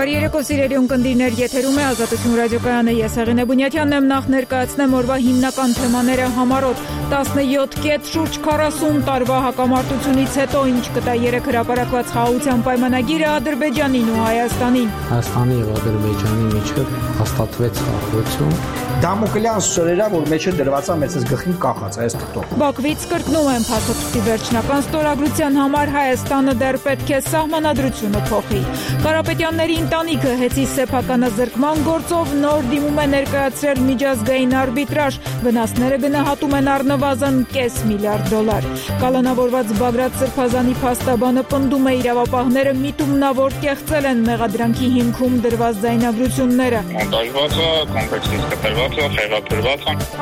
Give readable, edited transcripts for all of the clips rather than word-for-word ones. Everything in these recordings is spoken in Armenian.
Բարի երեկո սիրելի ունկնդիրներ, եթերում է Ազատություն ռադիոկայանը, ես Հեղինե Բունյաթյանն եմ, նախ ներկայացնեմ օրվա հիմնական թեմաները համառոտ 17 կետ շուրջ 40 տարվա հակամարտությունից հետո ինչ կտա 3 հրապարակված խաղաղության պայմանագիրը Ադրբեջանին ու Հայաստանին։ Հայաստանի եւ Ադրբեջանի միջև հաստատվեց խաղաղություն։ Դամոկլյան սորերա, որ մեջը դրված է մեծս գլխին կախած այս թղթով։ Բաքվից կրկնում են փաստաթղթի վերջնական ստորագրության համար Հայաստանը դեռ պետք է սահմանադրությունը փոխի։ Կարապետյանների ընտանիքը հեծի սեփականազրկման գործով նոր դիմում է ներկայացրել միջազգային արբիտրաժ, վնասները գնահատում են առնվազն $500 միլիարդ։ Կալանավորված Բագրատ Սրբազանի փաստաբանը պնդում է իրավապահները միտումնավոր կեղծել են մեղադրանքի հիմքում դրված ձայնագրությունները։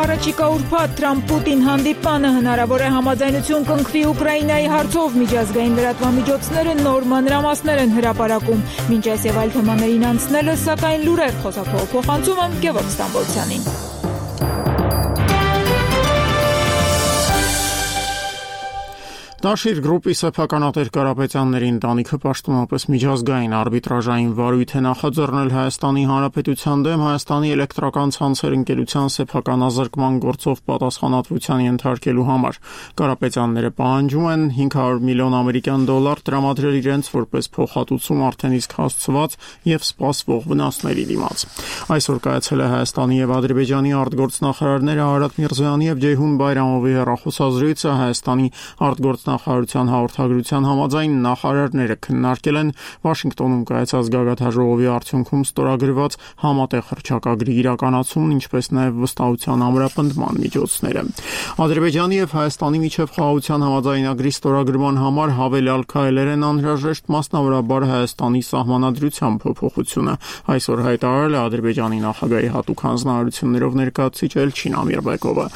Առաջիկա ուրբաթ Թրամփ-Պուտին հանդիպանը հնարավոր է համաձայնություն կնքվի Ուկրաինայի հարցով, միջազգային լրատվամիջոցները նոր մանրամասներ են հրապարակում։ Մինչ այս եւ այլ թեմաներին անցնելը, սակայն լուրեր խոսափողը փոխանցում եմ Գևորգ Ստամբոլցյանին։ Դաշիր գրուպի սեփականատեր Կարապետյանների ընտանիքը պաշտոնապես միջազգային արբիտրաժային վարույթ է նախաձեռնել Հայաստանի Հանրապետության դեմ Հայաստանի էլեկտրական ցանցեր ընկերության սեփականազրկման գործով պատասխանատվության ենթարկելու համար։ Կարապետյանները պահանջում են $500 միլիոն տրամադրել իրենց որպես փոխհատուցում արդեն իսկ հասցված եւ սպասվող վնասների դիմաց։ Այսօր կայացել է Հայաստանի եւ Ադրբեջանի արտգործնախարարները Արարատ Միրզոյանի եւ Ջեյհուն Բայրամովի հեռախոսազրույցը Հայաստանի արտգործնախարարության հաղորդագրության համաձայն նախարարները քննարկել են Վաշինգտոնում կայացած գագաթնաժողովի արդյունքում ստորագրված համատեղ հռչակագրի իրականացումն, ինչպես նաև վստահության ամրապնդման միջոցները։ Ադրբեջանի եւ Հայաստանի միջև խաղաղության համաձայնագրի ստորագրման համար հավելյալ քայլեր են անհրաժեշտ, մասնավորաբար Հայաստանի սահմանադրության փոփոխությունը։ Այսօր հայտարարել է Ադրբեջանի նախագահի հատուկ հանձնարարություններով ներկայացուցիչ Էլչին Ամիրբեկովը։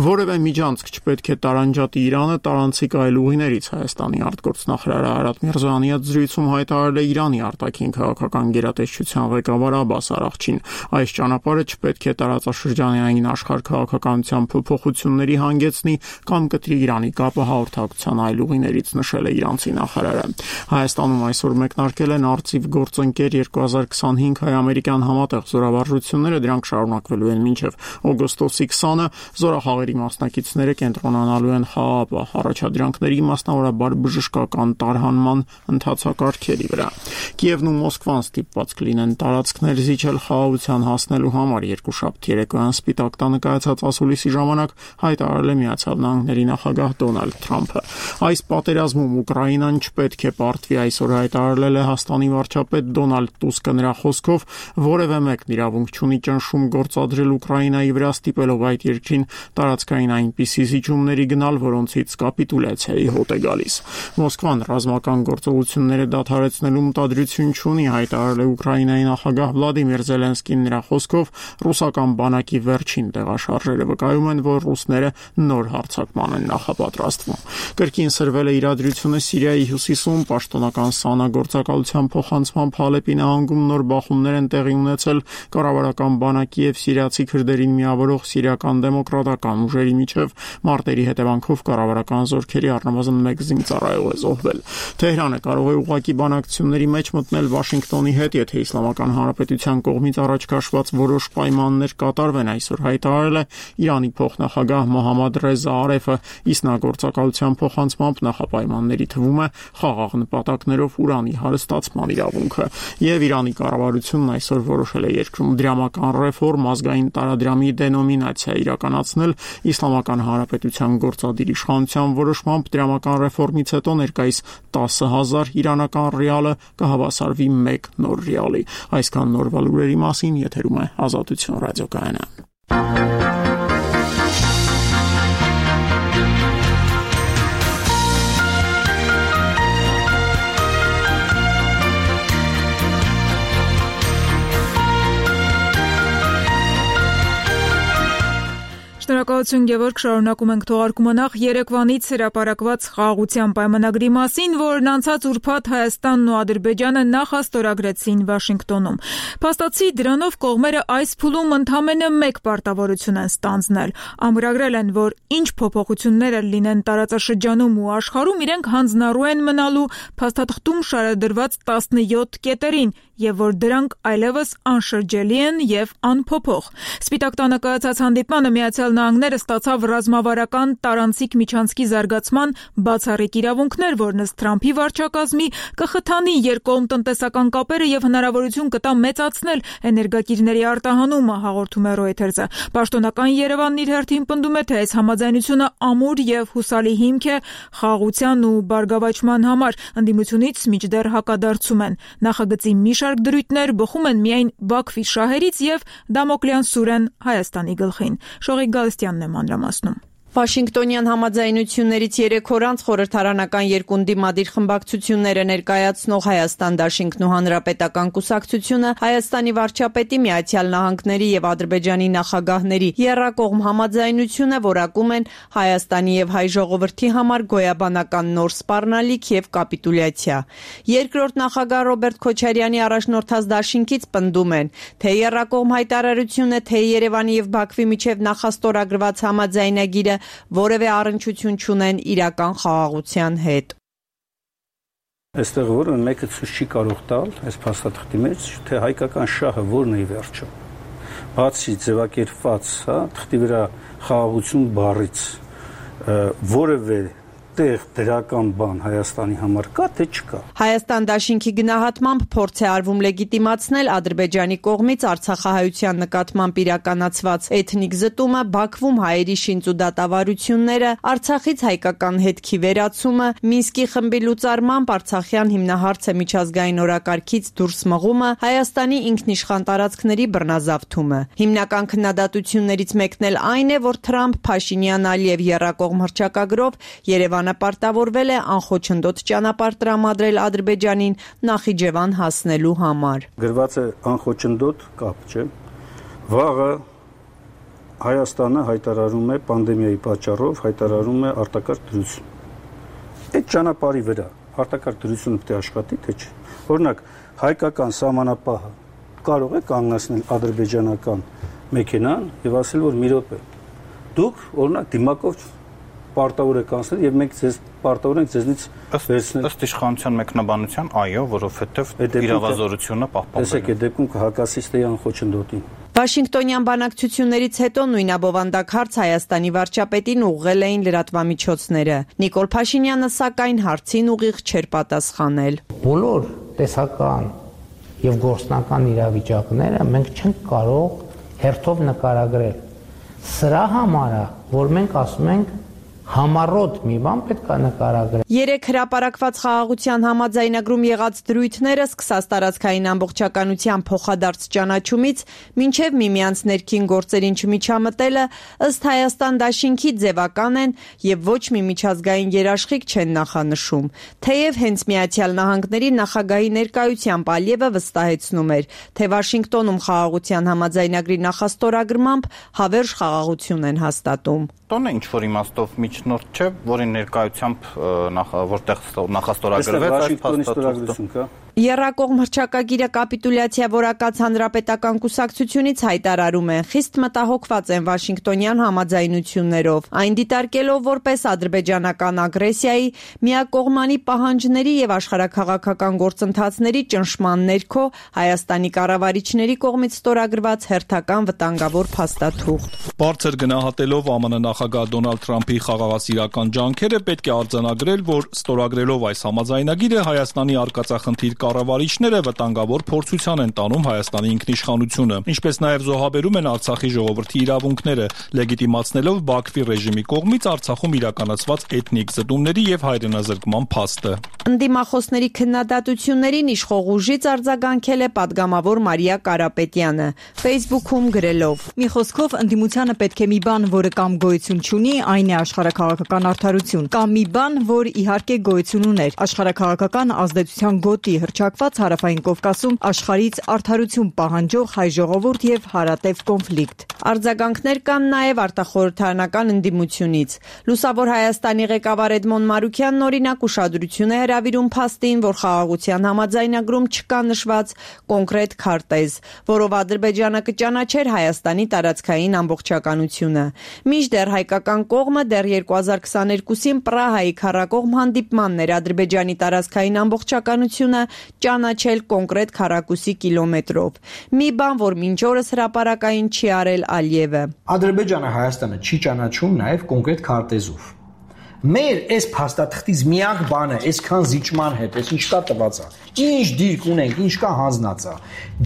Որևէ միջանցք չպետք է տարանջատի Իրանը տարանցիկ այլ ուղիներից։ Հայաստանի արտգործնախարար Արարատ Միրզոյանի հետ զրույցում հայտարարել է Իրանի արտաքին քաղաքական գերատեսչության ղեկավար Աբբաս Արաղչին։ Այս ճանապարհը չպետք է տարածաշրջանային աշխարհ-քաղաքականության փոփոխությունների հանգեցնի կամ կտրի Իրանի կապը հաղորդակցության այլ ուղիներից, նշել է իրանցի նախարարը։ Հայաստանում այսօր մեկնարկել են արծիվ գործընկեր 2025 հայ-ամերիկյան համատեղ զորավարժությունները, դրանք շարունակվելու են մինչև օգոստոսի 20-ը։ Զորախաղերի մասնակիցները կենտրոնանալու են խաղաղապահ առաջադրանքների, մասնավորաբար բժշկական տարհանման ընթացակարգերի վրա։ Կիևն ու Մոսկվան ստիպված կլինեն տարածքներ զիջել խաղաղության հասնելու համար։ Երկուշաբթի երեկոյան Սպիտակ տանը կայացած ասուլիսի ժամանակ հայտարարել է Միացյալ Նահանգների նախագահ Դոնալդ Թրամփը։ Այս պատերազմում Ուկրաինան չպետք է պարտվի, այսօր հայտարարել է Լեհաստանի վարչապետ Դոնալդ Տուսկը։ Նրա խոսքով որևէ մեկն իրավունք չունի ճնշում գործադրել Ուկրաինայի վրա, ստիպելով այդ երկրին տարածքային այնպիսի զիջումների գնալ, որոնցից կապիտուլյացիայի հոտ է գալիս։ Մոսկվան ռազմական գործողությունները դադարեցնելու մտադրություն չունի, հայտարարել է Ուկրաինայի նախագահ Վլադիմիր Զելենսկին։ Նրա խոսքով ռուսական բանակի վերջին տեղաշարժերը վկայում են, որ ռուսները նոր հարձակման են նախապատրաստվում։ Կրկին սրվել է իրադրությունը Սիրիայի հյուսիսում, պաշտոնական ՍԱՆԱ գործակալության փոխանցմամբ Հալեպի նահանգում նոր բախումներ են տեղի ունեցել կառավարական բանակի եւ սիրիացի քրդերին միավորող սիրիական դեմոկրատական ուժերի միջև։ Մարտերի հետևանքով կառավարական զորքերի առնվազն 1 զինծառայող է զոհվել։ Թեհրանը կարող է ուղղակի բանակցությունների մեջ մտնել Վաշինգտոնի հետ, եթե Իսլամական Հանրապետության կողմից առաջ քաշված որոշ պայմաններ կատարվեն, այսօր հայտարարել է Իրանի փոխնախագահ Մոհամմադ Ռեզա Արեֆը։ Իսլամագործակալության փոխանցմամբ նախապայմանների թվում է խաղաղ նպատակներով ուրանի հարստացման իրավունքը։ Եվ Իրանի կառավարությունն այսօր որոշել է երկրում դրամական ռեֆորմ, ազգային տարադրամի դենոմինացիա իրականացնել։ Իսլամական Հանրապետության գործադիր իշխանության որոշմամբ դրամական ռեֆորմից հետո ներկայիս 10,000 իրանական ռիալը կհավասարվի 1 նոր ռիալի։ Այսքան նորվա լուրերի մասին եթերում է Ազատություն ռադիոկայանը։ Շնորհակալ Շնորհակալություն, Գևորգ, շարունակում ենք թողարկումը նախ երեկվանից հրապարակված խաղաղության պայմանագրի մասին, որն անցած ուրբաթ Հայաստանն ու Ադրբեջանը նախաստորագրեցին Վաշինգտոնում։ Փաստացի դրանով կողմերը այս փուլում ընդամենը մեկ պարտավորություն են ստանձնել։ Ամրագրել են, որ ինչ փոփոխություններ լինեն տարածաշրջանում ու աշխարհում, իրենք հանձնառու են մնալու փաստաթղթում շարադրված 17 կետերին, եւ որ դրանք այլևս անշրջելի են եւ անփոփոխ։ Սպիտակ տանը կայացած հանդիպմանը Միացյալ Նահանգները ստացավ ռազմավարական տարանցիկ միջանցքի զարգացման բացառիկ իրավունքներ, որն ըստ Թրամփի վարչակազմի կխթանի երկկողմ տնտեսական կապերը եւ հնարավորություն կտա մեծացնել էներգակիրների արտահանումը, հաղորդում է Reuters-ը։ Պաշտոնական Երևանն իր հերթին պնդում է, թե այս համաձայնությունը ամուր եւ հուսալի հիմք է խաղաղության ու բարգավաճման համար։ Ընդդիմությունից մինչդեռ հակադարձում են։ Նախագծի մի շարք դրույթներ բխում են միայն Բաքվի շահերից եւ Դամոկլյան սուրեն Հայաստանի գլխին։ Շողիկ Գալստյանն է մանրամասնում։ Վաշինգտոնյան համաձայնություններից 3 օր անց խորհրդարանական երկունդի մադիր խմբակցությունները ներկայացնող Հայաստան դաշինքն ու Հանրապետական կուսակցությունը Հայաստանի վարչապետի, Միացյալ Նահանգների եւ Ադրբեջանի նախագահների եռակողմ համաձայնությունը որակում են Հայաստանի եւ հայ ժողովրդի համար գոյաբանական նոր սպառնալիք եւ կապիտուլյացիա։ Երկրորդ նախագահ Ռոբերտ Քոչարյանի առաջնորդած դաշինքից պնդում են, թե եռակողմ հայտարարությունը, թե Երևանի եւ Բաքվի միջև նախաստորագրված համաձայնագիրը որևէ առնչություն չունեն իրական խաղաղության հետ։ Այստեղ որը մեկը ցույց չի կարող տալ այս փաստաթղթի մեջ, թե հայկական շահը որն է ի վերջո։ Բացի ձևակերպված, թղթի վրա խաղաղություն բառից որևէ տեղ դրական բան Հայաստանի համար կա, թե չկա։ Հայաստան դաշինքի գնահատմամբ փորձ է արվում լեգիտիմացնել Ադրբեջանի կողմից արցախահայության նկատմամբ իրականացված էթնիկ զտումը, Բաքվում հայերի շինծ ու դատավարությունները, Արցախից հայկական հետքի վերացումը, Մինսկի խմբի լուծարմամբ Արցախյան հիմնահարցը միջազգային օրակարգից դուրս մղումը, Հայաստանի ինքնիշխան տարածքների բռնազավթումը։ Հիմնական քննադատություններից մեկն էլ այն է, որ Թրամփ, Փաշինյան, Ալիև եռակողմ հռչակագրով Երևան պարտավորվել է անխոչնդոտ ճանապարհ տրամադրել Ադրբեջանին Նախիջևան հասնելու համար։ Գրված է անխոչնդոտ կապ, չէ՞։ Վաղը Հայաստանը հայտարարում է պանդեմիայի պատճառով հայտարարում է արտակարգ դրություն։ Այդ ճանապարհի վրա արտակարգ դրությունը պետք է աշխատի, թե չէ։ Օրինակ, հայկական սահմանապահը կարող է կանգնեցնել ադրբեջանական մեքենան եւ ասել, որ մի րոպե դուք օրինակ դիմակով պարտավոր եք անցնել եւ մենք ձեզ պարտավոր ենք ձեզնից վերցնել ըստ իշխանության մեկնաբանության, այո, որովհետեւ իրավազորությունը պահպանվել է։ Տեսեք, այդ դեպքում կհակասի ստեյան խոչընդոտին։ Վաշինգտոնյան բանակցություններից հետո նույնաբովանդակ հարց Հայաստանի վարչապետին ուղղել էին լրատվամիջոցները։ Նիկոլ Փաշինյանը սակայն հարցին ուղիղ չէր պատասխանել։ Բոլոր տեսական եւ գործնական իրավիճակները մենք չենք կարող հերթով նկարագրել։ Սրա համար է, որ մենք ասում ենք համառոտ մի բան պետք է նկարագրել։ 3 հրապարակված խաղաղության համաձայնագրում եղած դրույթները սկսած տարածքային ամբողջականության փոխադարձ ճանաչումից մինչև միմյանց ներքին գործերին չմիջամտելը ըստ Հայաստան դաշինքի ձևական են եւ ոչ մի միջազգային երաշխիք չեն նախանշում։ Թեև հենց Միացյալ Նահանգների նախագահի ներկայությամբ Ալիևը վստահեցնում էր, թե Վաշինգտոնում խաղաղության համաձայնագրի նախաստորագրմամբ հավերժ խաղաղություն են հաստատում։ Տոնը ինչ որ իմաստով միջնորդ չէ, որի ներկայությամբ որտեղ նախաստորագրվեց այս փաստաթուղթը։ Եռակողմ հռչակագիրը կապիտուլյացիա որակած հանրապետական կուսակցությունից հայտարարում են, խիստ մտահոգված են Վաշինգտոնյան համաձայնություններով, այն դիտարկելով որպես ադրբեջանական ագրեսիայի, միակողմանի պահանջների եւ աշխարհաքաղաքական գործընթացների ճնշման ներքո Հայաստանի կառավարիչների կողմից ստորագրված հերթական վտանգավոր փաստաթուղթ։ Բարձր գնահատելով ԱՄՆ նախագահ Դոնալդ Թրամփի խաղաղասիրական ջանքերը պետք է արձանագրել, որ ստորագրելով այս համաձայնագիրը Հայաստանի արկածախնդիր կառավարիչները վտանգավոր փորձության են տանում Հայաստանի ինքնիշխանությունը, ինչպես նաև զոհաբերում են Արցախի ժողովրդի իրավունքները, լեգիտիմացնելով Բաքվի ռեժիմի կողմից Արցախում իրականացված էթնիկ զտումների եւ հայրենազրկման փաստը։ Ընդդիմախոսների քննադատություններին իշխող ուժից արձագանքել է падգամավոր Մարիա Կարապետյանը Facebook-ում գրելով. Մի խոսքով ընդդիմությանը պետք է մի բան, որը կամ գոյություն չունի, այն է աշխարհաքաղաքական արդարություն, կամ մի բան, որ իհարկե գոյություն ուներ, աշխարհաքաղաքական ազդեցության գոտի հռչակված Հարավային Կովկասում աշխարհից արդարություն պահանջող հայ ժողովուրդ եւ հարատև կոնֆլիկտ։ Արձագանքներ կան նաև արտախորհրդարանական ընդդիմությունից։ Լուսավոր Հայաստանի ղեկավար Էդմոն Մարուքյանն օրինակ ուշադրություն է հրավիրում փաստին, որ խաղաղության համաձայնագրում չկա նշված կոնկրետ քարտեզ, որով Ադրբեջանը կճանաչեր Հայաստանի տարածքային ամբողջականությունը։ Մինչդեռ հայկական կողմը դեռ 2022-ին Պրահայի քառակողմ հանդիպմանն էր Ադրբեջանի տարածքային ամբողջականությունը ճանաչել կոնկրետ քառակուսի կիլոմետրով։ Մի բան, որ մինչ օրս հրապարակային չի արել Ալիևը։ Ադրբեջանը Հայաստանը չի ճանաչում նաև կոնկրետ քարտեզով։ Մեր այս փաստաթղթից միակ բանը այսքան զիջման հետ, այս ինչ կա տված է։ Ինչ դիրք ունենք, ինչ կա հանձնած է։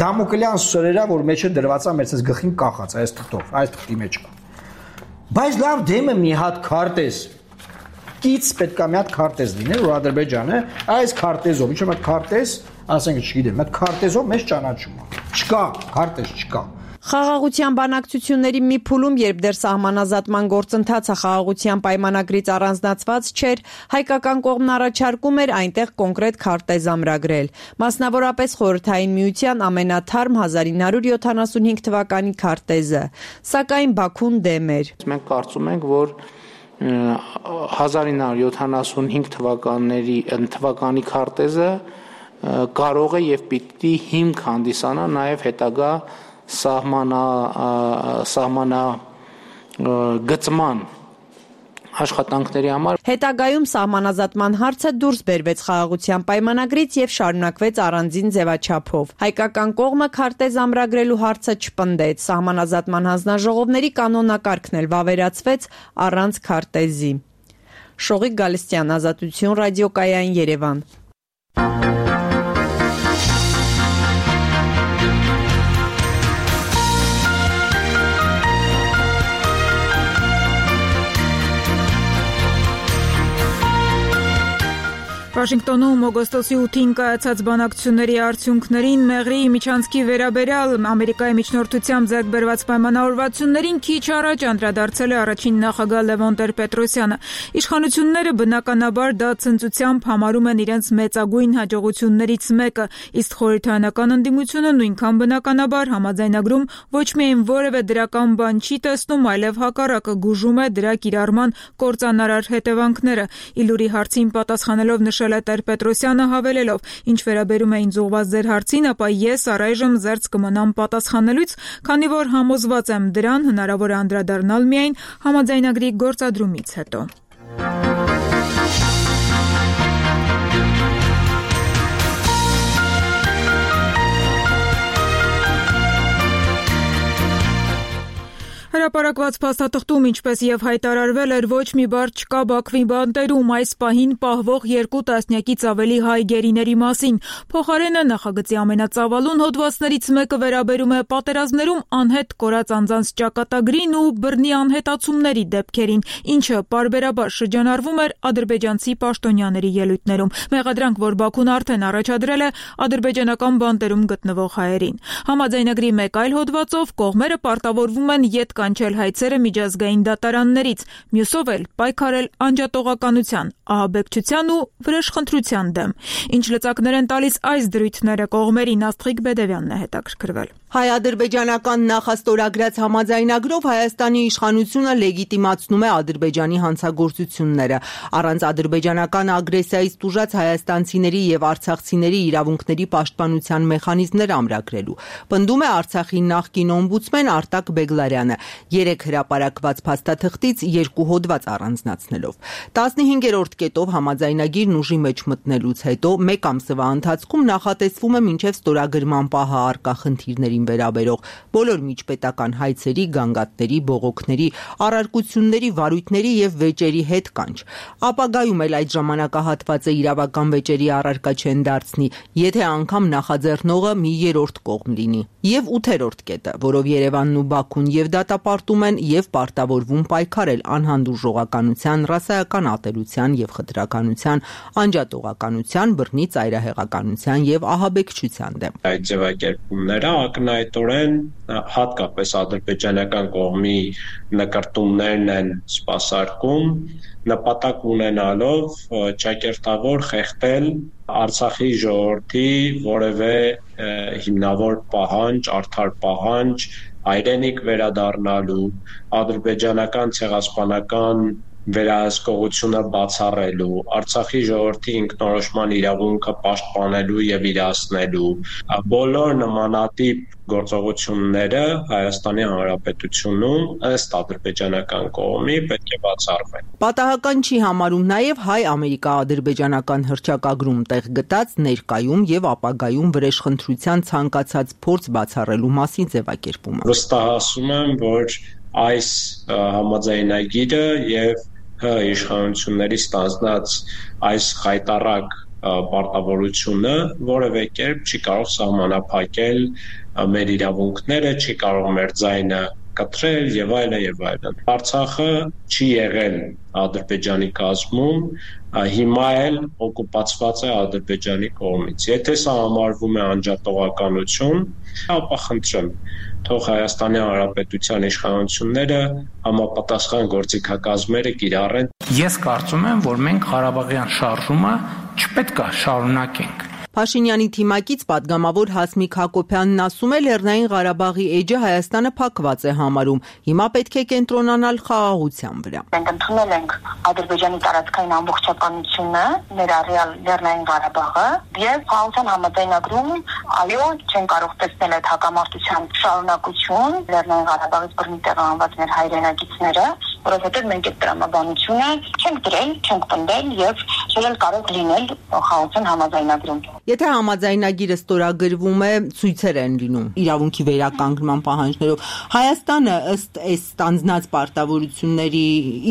Դամոկլյան սուրերա, որ մեջը դրված է մեր այս գլխին կախած, այս թղթով, այս թղթի մեջ կա։ Բայց լավ դեմը մի հատ քարտեզ կից պետք է մի հատ քարտեզ լինի, որ Ադրբեջանը այս քարտեզով, ինչ որ քարտեզ, ասենք չգիտեմ, այդ քարտեզով մեզ ճանաչում է։ Չկա, քարտեզ չկա։ Խաղաղության բանակցությունների մի փուլում, երբ դեռ սահմանազատման գործընթացը խաղաղության պայմանագրից առանձնացված չէր, հայկական կողմն առաջարկում էր այնտեղ կոնկրետ քարտեզ ամրագրել։ Մասնավորապես Խորհրդային Միության ամենաթարմ 1975 թվականի քարտեզը, սակայն Բաքուն դեմ էր։ Մենք կարծում ենք, որ 1975 թվականի քարտեզը կարող է եւ պիտի հիմք հանդիսանա նաեւ հետագա սահմանագծման աշխատանքների համար։ Հետագայում սահմանազատման հարցը դուրս բերվեց խաղաղության պայմանագրից եւ շարունակվեց առանձին ձևաչափով։ Հայկական կողմը քարտեզ ամրագրելու հարցը չպնդեց։ Սահմանազատման հանձնաժողովների կանոնակարգն էլ վավերացվեց առանց քարտեզի։ Շողիկ Գալստյան, Ազատություն ռադիոկայան, Երևան։ Վաշինգտոնում օգոստոսի 8-ին կայացած բանակցությունների արդյունքներին Մեղրիի միջանցքի վերաբերյալ Ամերիկայի միջնորդությամբ ձեռք բերված պայմանավորվածություններին քիչ առաջ անդրադարձել է առաջին նախագահ Լևոն Տեր-Պետրոսյանը։ Իշխանությունները բնականաբար դա ցնծությամբ համարում են իրենց մեծագույն հաջողություններից մեկը, իսկ խորհրդարանական ընդդիմությունը նույնքան բնականաբար համաձայնագրում ոչ միայն որևէ դրական բան չի տեսնում, այլև հակառակը գուժում է դրա կիրառման կործանարար հետևանքները։ Իլուրի հարցին պատասխանելով նշել է Տեր-Պետրոսյանը հավելելով. «Ինչ վերաբերում է ինձ ուղղված ձեր հարցին, ապա ես առայժմ զերծ կմնամ պատասխանելուց, քանի որ համոզված եմ դրան հնարավոր է անդրադառնալ միայն համաձայնագրի գործադրումից հետո»։ Հրապարակված փաստաթղթում, ինչպես եւ հայտարարվել էր, ոչ մի բառ չկա Բաքվի բանտերում այս պահին պահվող 2 տասնյակից ավելի հայ գերիների մասին։ Փոխարենը նախագծի ամենածավալուն հոդվածներից մեկը վերաբերում է պատերազմներում անհետ կորած անձանց ճակատագրին ու բռնի անհետացումների դեպքերին, ինչը պարբերաբար շրջանառվում էր ադրբեջանցի պաշտոնյաների ելույթներում։ Մեղադրանք, որ Բաքուն արդեն առաջադրել է ադրբեջանական բանտերում գտնվող հայերին։ Համաձայնագրի մեկ այլ հոդվածով կողմերը պարտավորվում են ետ կանչել հայցերը միջազգային դատարաններից, մյուսով էլ պայքարել անջատողականության, ահաբեկչության ու վրեժխնդրության դեմ։ Ինչ լծակներ են տալիս այս դրույթները կողմերին, Աստղիկ Բեդևյանն է հետաքրքրվել։ Հայ-ադրբեջանական նախաստորագրած համաձայնագրով Հայաստանի իշխանությունը լեգիտիմացնում է Ադրբեջանի հանցագործությունները, առանց ադրբեջանական ագրեսիայից տուժած հայաստանցիների եւ արցախցիների իրավունքների պաշտպանության մեխանիզմներ ամրագրելու։ Պնդում է Արցախի նախկին օմբուդսմեն Արտակ Բեգլարյանը, 3 հրապարակված փաստաթղթից 2 հոդված առանձնացնելով։ 15-րդ կետով համաձայնագիրն ուժի մեջ մտնելուց հետո 1 ամսվա ընթացքում նախատեսվում է մինչև ստորագրման պահը առկա խնդիրների վերաբերող բոլոր միջպետական հայցերի, գանգատների, բողոքների, առարկությունների, վարույթների եւ վեճերի հետ կանչ։ Ապագայում էլ այդ ժամանակահատվածը իրավական վեճերի առարկա չեն դարձնի, եթե անգամ նախաձեռնողը մի երրորդ կողմ լինի։ Եվ 8-րդ կետը, որով Երևանն ու Բաքուն եւ դատապարտում են եւ պարտավորվում պայքարել անհանդուրժողականության, ռասայական ատելության եւ խտրականության, անջատողականության, բռնի ծայրահեղականության եւ ահաբեկչության դեմ։ Այդ ձևակերպումները ակնհայտորեն հատկապես ադրբեջանական կողմի նկարտումներն են սպասարկում, նպատակ ունենալով ճակերտավոր խեղդել Արցախի ժողովրդի որևէ հիմնավոր պահանջ, արդար պահանջ հայրենիք վերադառնալու, ադրբեջանական ցեղասպանական վերահսկողությունը բացառելու, Արցախի ժողովրդի ինքնորոշման իրավունքը պաշտպանելու եւ իրացնելու բոլոր նմանատիպ գործողությունները Հայաստանի Հանրապետությունում ըստ ադրբեջանական կողմի պետք է բացառվեն։ Պատահական չի համարում նաեւ հայ-ամերիկա-ադրբեջանական հռչակագրում տեղ գտած ներկայում եւ ապագայում վրեժխնդրության ցանկացած փորձ բացառելու մասին ձևակերպումը։ Վստահացում եմ, որ այս համաձայնագիրը եւ իշխանությունների ստանձնած այս խայտառակ պարտավորությունը որևէ կերպ չի կարող սահմանափակել մեր իրավունքները, չի կարող մեր ձայնը կտրել եւ այլն եւ այլն։ Արցախը չի եղել Ադրբեջանի կազմում, հիմա էլ օկուպացված է Ադրբեջանի կողմից։ Եթե սա համարվում է անջատողականություն, ապա խնդրեմ, թող Հայաստանի Հանրապետության իշխանությունները համապատասխան գործիքակազմերը կիրառեն։ Ես կարծում եմ, որ մենք Ղարաբաղյան շարժումը չպետք է շարունակենք։ Փաշինյանի թիմակից պատգամավոր Հասմիկ Հակոբյանն ասում է, Լեռնային Ղարաբաղի էջը Հայաստանը փակված է համարում։ Հիմա պետք է կենտրոնանալ խաղաղության վրա։ Մենք ընդունել ենք Ադրբեջանի տարածքային ամբողջականությունը, ներառյալ Լեռնային Ղարաբաղը, եւ խաղաղության համաձայնագրում, այո, չեն կարող տեսնել այդ հակամարտության շարունակություն Լեռնային Ղարաբաղից բռնի տեղահանված մեր հայրենագիտները, որովհետեւ մենք այդ տրամաբանությունը չենք դրել, չենք պնդել եւ չել կարող լինել խաղաղության համաձայնագրում։ Եթե համաձայնագիրը ստորագրվում է, ցույցեր են լինում իրավունքի վերականգնման պահանջներով։ Հայաստանը ըստ այս ստանձնած պարտավորությունների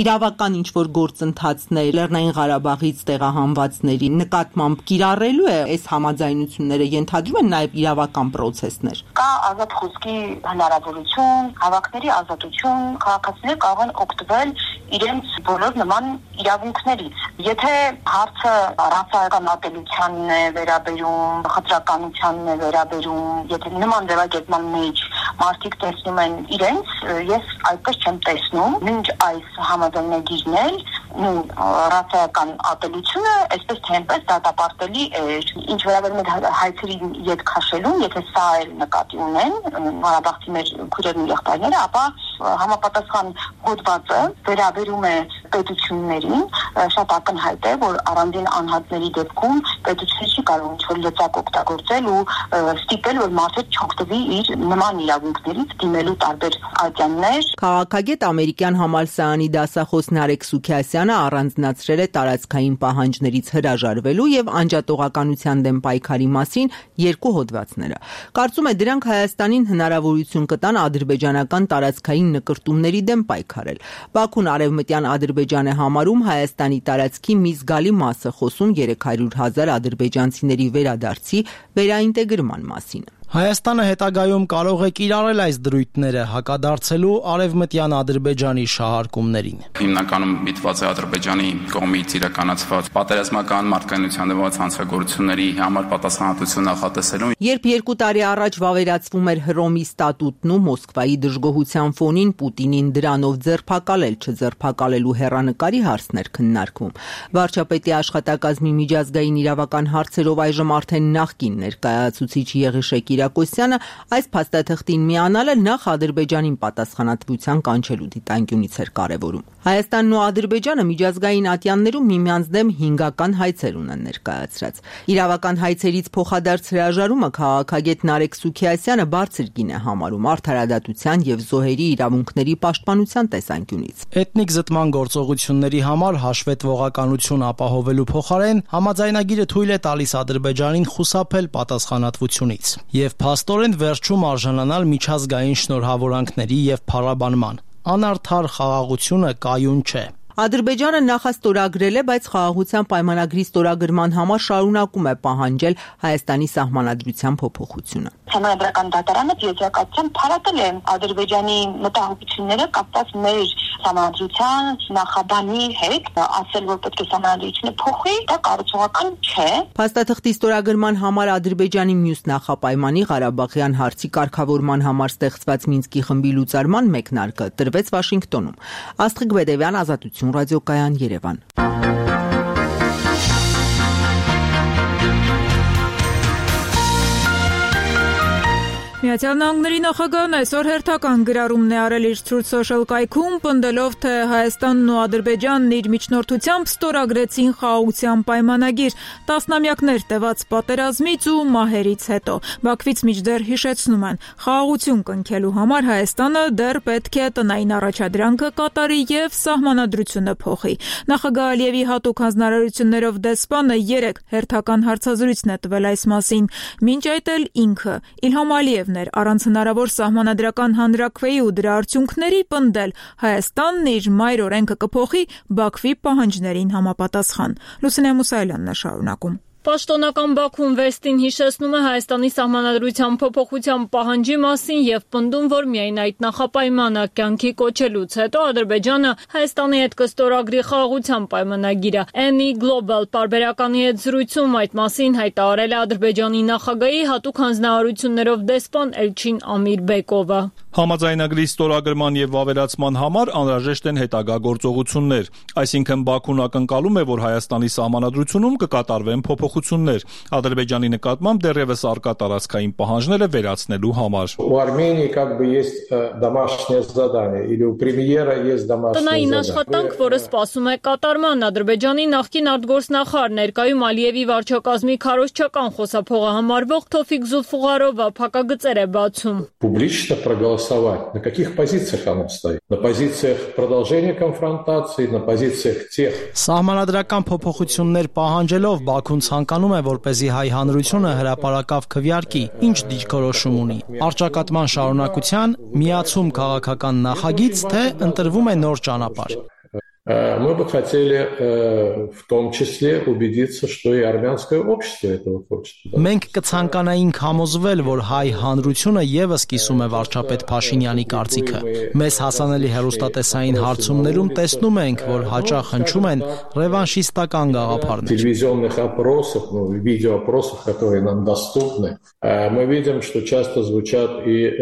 իրավական ինչ-որ գործընթացներ Լեռնային Ղարաբաղից տեղահանվածների նկատմամբ կիրառելու է այս համաձայնությունները, ենթադրում են նաև իրավական պրոցեսներ։ Կա ազատ խոսքի հնարավորություն, հավաքների ազատություն, քաղաքացիները կարող են օգտվել իրենց բոլոր նման իրավունքներից։ Եթե հարցը ռասայական ատելությանն է վերաբերում, խտրականությանն է վերաբերում, եթե նման ձևակերպման մեջ մարդիկ տեսնում են իրենց, ես այդպես չեմ տեսնում, մինչ այս համաձայնագիրն էլ ռասայական ատելությունը այսպես թե այնպես դատապարտելի էր։ Ինչ վերաբերում է հայցերի ետ քաշելուն, եթե սա էլ նկատի ունեն ղարաբաղցիներ քույրերն ու եղբայրները, ապա համապատասխան հոդվածը վերաբերում է պետություններին, շատ ակնհայտ է, որ առանձին անհատների դեպքում պետությունը չի կարող ինչ-որ լծակ օգտագործել ու ստիպել, որ մարդը չօգտվի իր նման իրավունքներից դիմելու տարբեր ատյաններ։ Քաղաքագետ ամերիկյան համալսարանի դասախոս Նարեկ Սուքիասյանը առանձնացրել է տարածքային պահանջներից հրաժարվելու եւ անջատողականության դեմ պայքարի մասին երկու հոդվածները։ Կարծում է դրանք Հայաստանին հնարավորություն կտան ադրբեջանական տարածքային նկրտումների դեմ պայքարել։ Բաքուն արևմտյան Ադրբեջան է համարում Հայաստանի տարածքի մի զգալի մասը, խոսում 300,000 ադրբեջանցիների վերադարձի վերաինտեգրման մասին։ Հայաստանը հետագայում կարող է կիրառել այս դրույթները հակադարձելու արևմտյան Ադրբեջանի շահարկումներին։ Հիմնականում միտված է Ադրբեջանի կողմից իրականացված պատերազմական մարդկայնության դեմ հանցագործությունների համար պատասխանատվություն նախատեսելուն։ Երբ 2 տարի առաջ վավերացվում էր Հռոմի ստատուտն ու Մոսկվայի դժգոհության ֆոնին Պուտինին դրանով ձերբակալել չձերբակալելու հեռանկարի հարցներ քննարկվում։ Վարչապետի աշխատակազմի միջազգային իրավական հարցերով այժմ արդեն նախկին ներկայացուցիչ Եղիշեկ Կիրակոսյանը այս փաստաթղթին միանալը նախ Ադրբեջանին պատասխանատվության կանչելու դիտանկյունից էր կարևորում։ Հայաստանն ու Ադրբեջանը միջազգային ատյաններում միմյանց դեմ հինգական հայցեր ունեն ներկայացրած։ Իրավական հայցերից փոխադարձ հրաժարումը քաղաքագետ Նարեկ Սուքիասյանը բարձր գին է համարում արդարադատության եւ զոհերի իրավունքների պաշտպանության տեսանկյունից։ Էթնիկ զտման գործողությունների համար հաշվետվողականություն ապահովելու փոխարեն համաձայնագիրը թույլ է տալիս Ադրբեջանին խուսափել պատասխանատվությունից եւ փաստորեն վերջում արժանանալ միջազգային շնորհավորանքների եւ փառաբանման։ Անարդար խաղաղությունը կայուն չէ։ Ադրբեջանը նախաստորագրել է, բայց խաղաղության պայմանագրի ստորագրման համար շարունակում է պահանջել Հայաստանի սահմանադրության փոփոխությունը։ Համանդրական դատարանը եզրակացության փառատել է Ադրբեջանի մտահոգությունները կապված մեր սահմանադրության նախաբանի հետ, ասել, որ պետք է սահմանադրությունը փոխվի, դա կառուցողական չէ։ Փաստաթղթի ստորագրման համար Ադրբեջանի մյուս նախապայմանի Ղարաբաղյան հարցի կարգավորման համար ստեղծված Մինսկի խմբի լուծարման մեկնարկը տրվեց Վաշինգտոնում։ Աստղիկ Բեդևյան, Ազատություն ռադիոկայան, Երևան։ Միացյալ Նահանգների նախագահն այսօր հերթական գրառումն է արել իր Truth Social կայքում, պնդելով, թե Հայաստանն ու Ադրբեջանն իր միջնորդությամբ ստորագրեցին խաղաղության պայմանագիր, տասնամյակներ տևած պատերազմից ու մահերից հետո։ Բաքվից մինչդեռ հիշեցնում են, խաղաղություն կնքելու համար Հայաստանը դեռ պետք է տնային առաջադրանքը կատարի եւ սահմանադրությունը փոխի։ Նախագահ Ալիևի հատուկ հանձնարարություններով դեսպանը 3 հերթական հարցազրույցն է տվել այս մասին։ Մինչ այդ էլ ինքը Իլհամ Ալիևն էր առանց հնարավոր սահմանադրական հանրաքվեի ու դրա արդյունքների պնդել Հայաստանն իր մայր օրենքը կփոխի Բաքվի պահանջներին համապատասխան։ Լուսինե Մուսայելյանն է շարունակում։ Պաշտոնական Բաքուն վերստին հիշեցնում է Հայաստանի սահմանադրության փոփոխության պահանջի մասին եւ պնդում, որ միայն այդ նախապայմանը կյանքի կոչելուց հետո Ադրբեջանը Հայաստանի հետ կստորագրի խաղաղության պայմանագիրը։ Any Global պարբերականի հետ զրույցում այդ մասին հայտարարել է Ադրբեջանի նախագահի հատուկ հանձնարարություններով դեսպան Էլչին Ամիրբեկովը։ Համաձայնագրի ստորագրման եւ վավերացման համար անհրաժեշտ են հետագա գործողություններ, այսինքն Բաքուն ակնկալում է, որ Հայաստանի սահմանադրությունում կկատարվեն փոփոխություններ Ադրբեջանի նկատմամբ դեռևս արկա տարածքային պահանջները վերացնելու համար։ Տնային աշխատանք, որը սպասում է կատարման, Ադրբեջանի նախկին արտգործնախարար ներկայում Ալիևի վարչակազմի քարոզչական խոսափողը համարվող Թոֆիկ Զուլֆուղարովը փակագծեր է բացում։ На каких позициях оно стоит? На позициях продолжения конфронтации, на позициях тех. Սահմանադրական փոփոխություններ պահանջելով Բաքուն ցանկանում է, որպեսզի հայ հանրությունը հրապարակավ քվեարկի, ինչ դիրքորոշում ունի։ Արճակատման շարունակության, միացում քաղաքական նախագիծ, թե ընտրվում է նոր ճանապարհ։ Мы бы хотели в том числе убедиться, что и армянское общество этого хочет. Մենք կցանկանայինք համոզվել, որ հայ հանրությունը եւս կիսում է վարչապետ Փաշինյանի կարծիքը։ Մեզ հասանելի հեռուստատեսային հարցումներում տեսնում ենք, որ հաճախ հնչում են ռևանշիստական գաղափարներ։ Телевизионных опросах, видеоопросах, которые нам доступны, мы видим, что часто звучат и,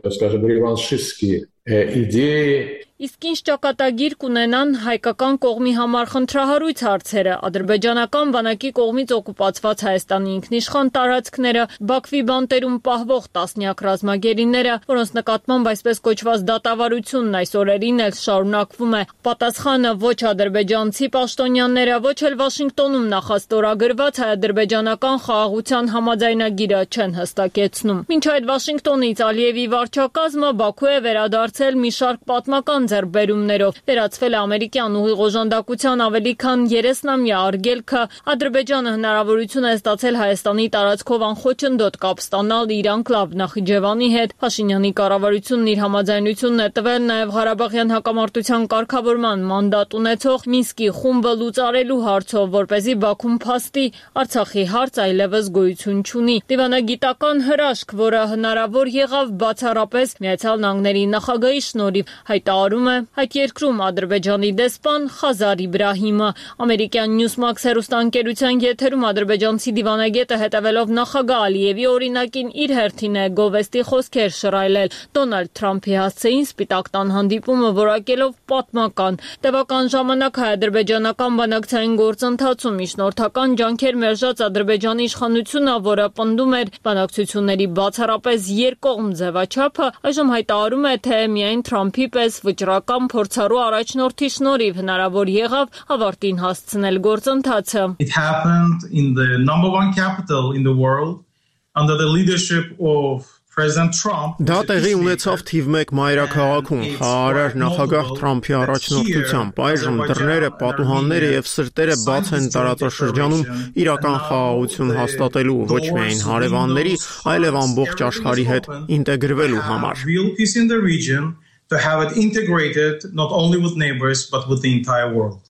скажем, реваншистские идеи. Իսկ ինչ ճակատագիր կունենան հայկական կողմի համար խնդրահարույց հարցերը, ադրբեջանական բանակի կողմից օկուպացված Հայաստանի ինքնիշխան տարածքները, Բաքվի բանտերում պահվող տասնյակ ռազմագերիները, որոնց նկատմամբ այսպես կոչված դատավարությունն այս օրերին էլ շարունակվում է։ Պատասխանը ոչ ադրբեջանցի պաշտոնյաները, ոչ էլ Վաշինգտոնում նախաստորագրված հայ-ադրբեջանական խաղաղության համաձայնագիրը չեն հստակեցնում։ Մինչ այդ Վաշինգտոնից Ալիևի վարչակազմը Բաքու է վերադարձել մի շարք պատմական ձեռբերումներով, վերացվել է ամերիկյան ուղիղ օժանդակության ավելի քան 30-ամյա արգելքը, Ադրբեջանը հնարավորություն է ստացել Հայաստանի տարածքով անխոչնդոտ կապ ստանալ իր անկլավ Նախիջևանի հետ, Փաշինյանի կառավարությունն իր համաձայնությունն է տվել նաև Ղարաբաղյան հակամարտության կարգավորման մանդատ ունեցող Մինսկի խումբը լուծարելու հարցով, որպեսզի Բաքուն փաստի Արցախի հարց այլևս գոյություն չունի։ Դիվանագիտական հրաշք, որը հնարավոր եղավ բացառապես Միացյալ Նահանգների նախագահի շնորհիվ, հայտարարում է այդ երկրում Ադրբեջանի դեսպան Խազար Իբրահիմը։ Ամերիկյան Newsmax հեռուստաընկերության եթերում ադրբեջանցի դիվանագետը հետևելով նախագահ Ալիևի օրինակին իր հերթին է գովեստի խոսքեր շռայլել։ Դոնալդ Թրամփի հասցեին Սպիտակ տան հանդիպումը որակելով պատմական։ Տևական ժամանակ հայ-ադրբեջանական բանակցային գործընթացում միջնորդական ջանքեր մերժած Ադրբեջանի իշխանությունը, որը պնդում էր բանակցությունների բացառապես երկկողմ ձևաչափը, այժմ հայտարարում է, թե միայն Թրամփի պես վճռական փորձառու առաջնորդի շնորհիվ հնարավոր եղավ ավարտին հասցնել գործընթացը։ It happened in the number one capital in the world under the leadership of Դա տեղի ունեցավ թիվ 1 մայրաքաղաքում խաղարար նախագահ Թրամփի առաջնորդությամբ։ Այժմ դռները, պատուհանները եւ սրտերը բաց են տարածաշրջանում իրական խաղաղություն հաստատելու ոչ միայն հարևանների, այլև ամբողջ աշխարհի հետ ինտեգրվելու համար։ To have it integrated not only with neighbors but with the entire world.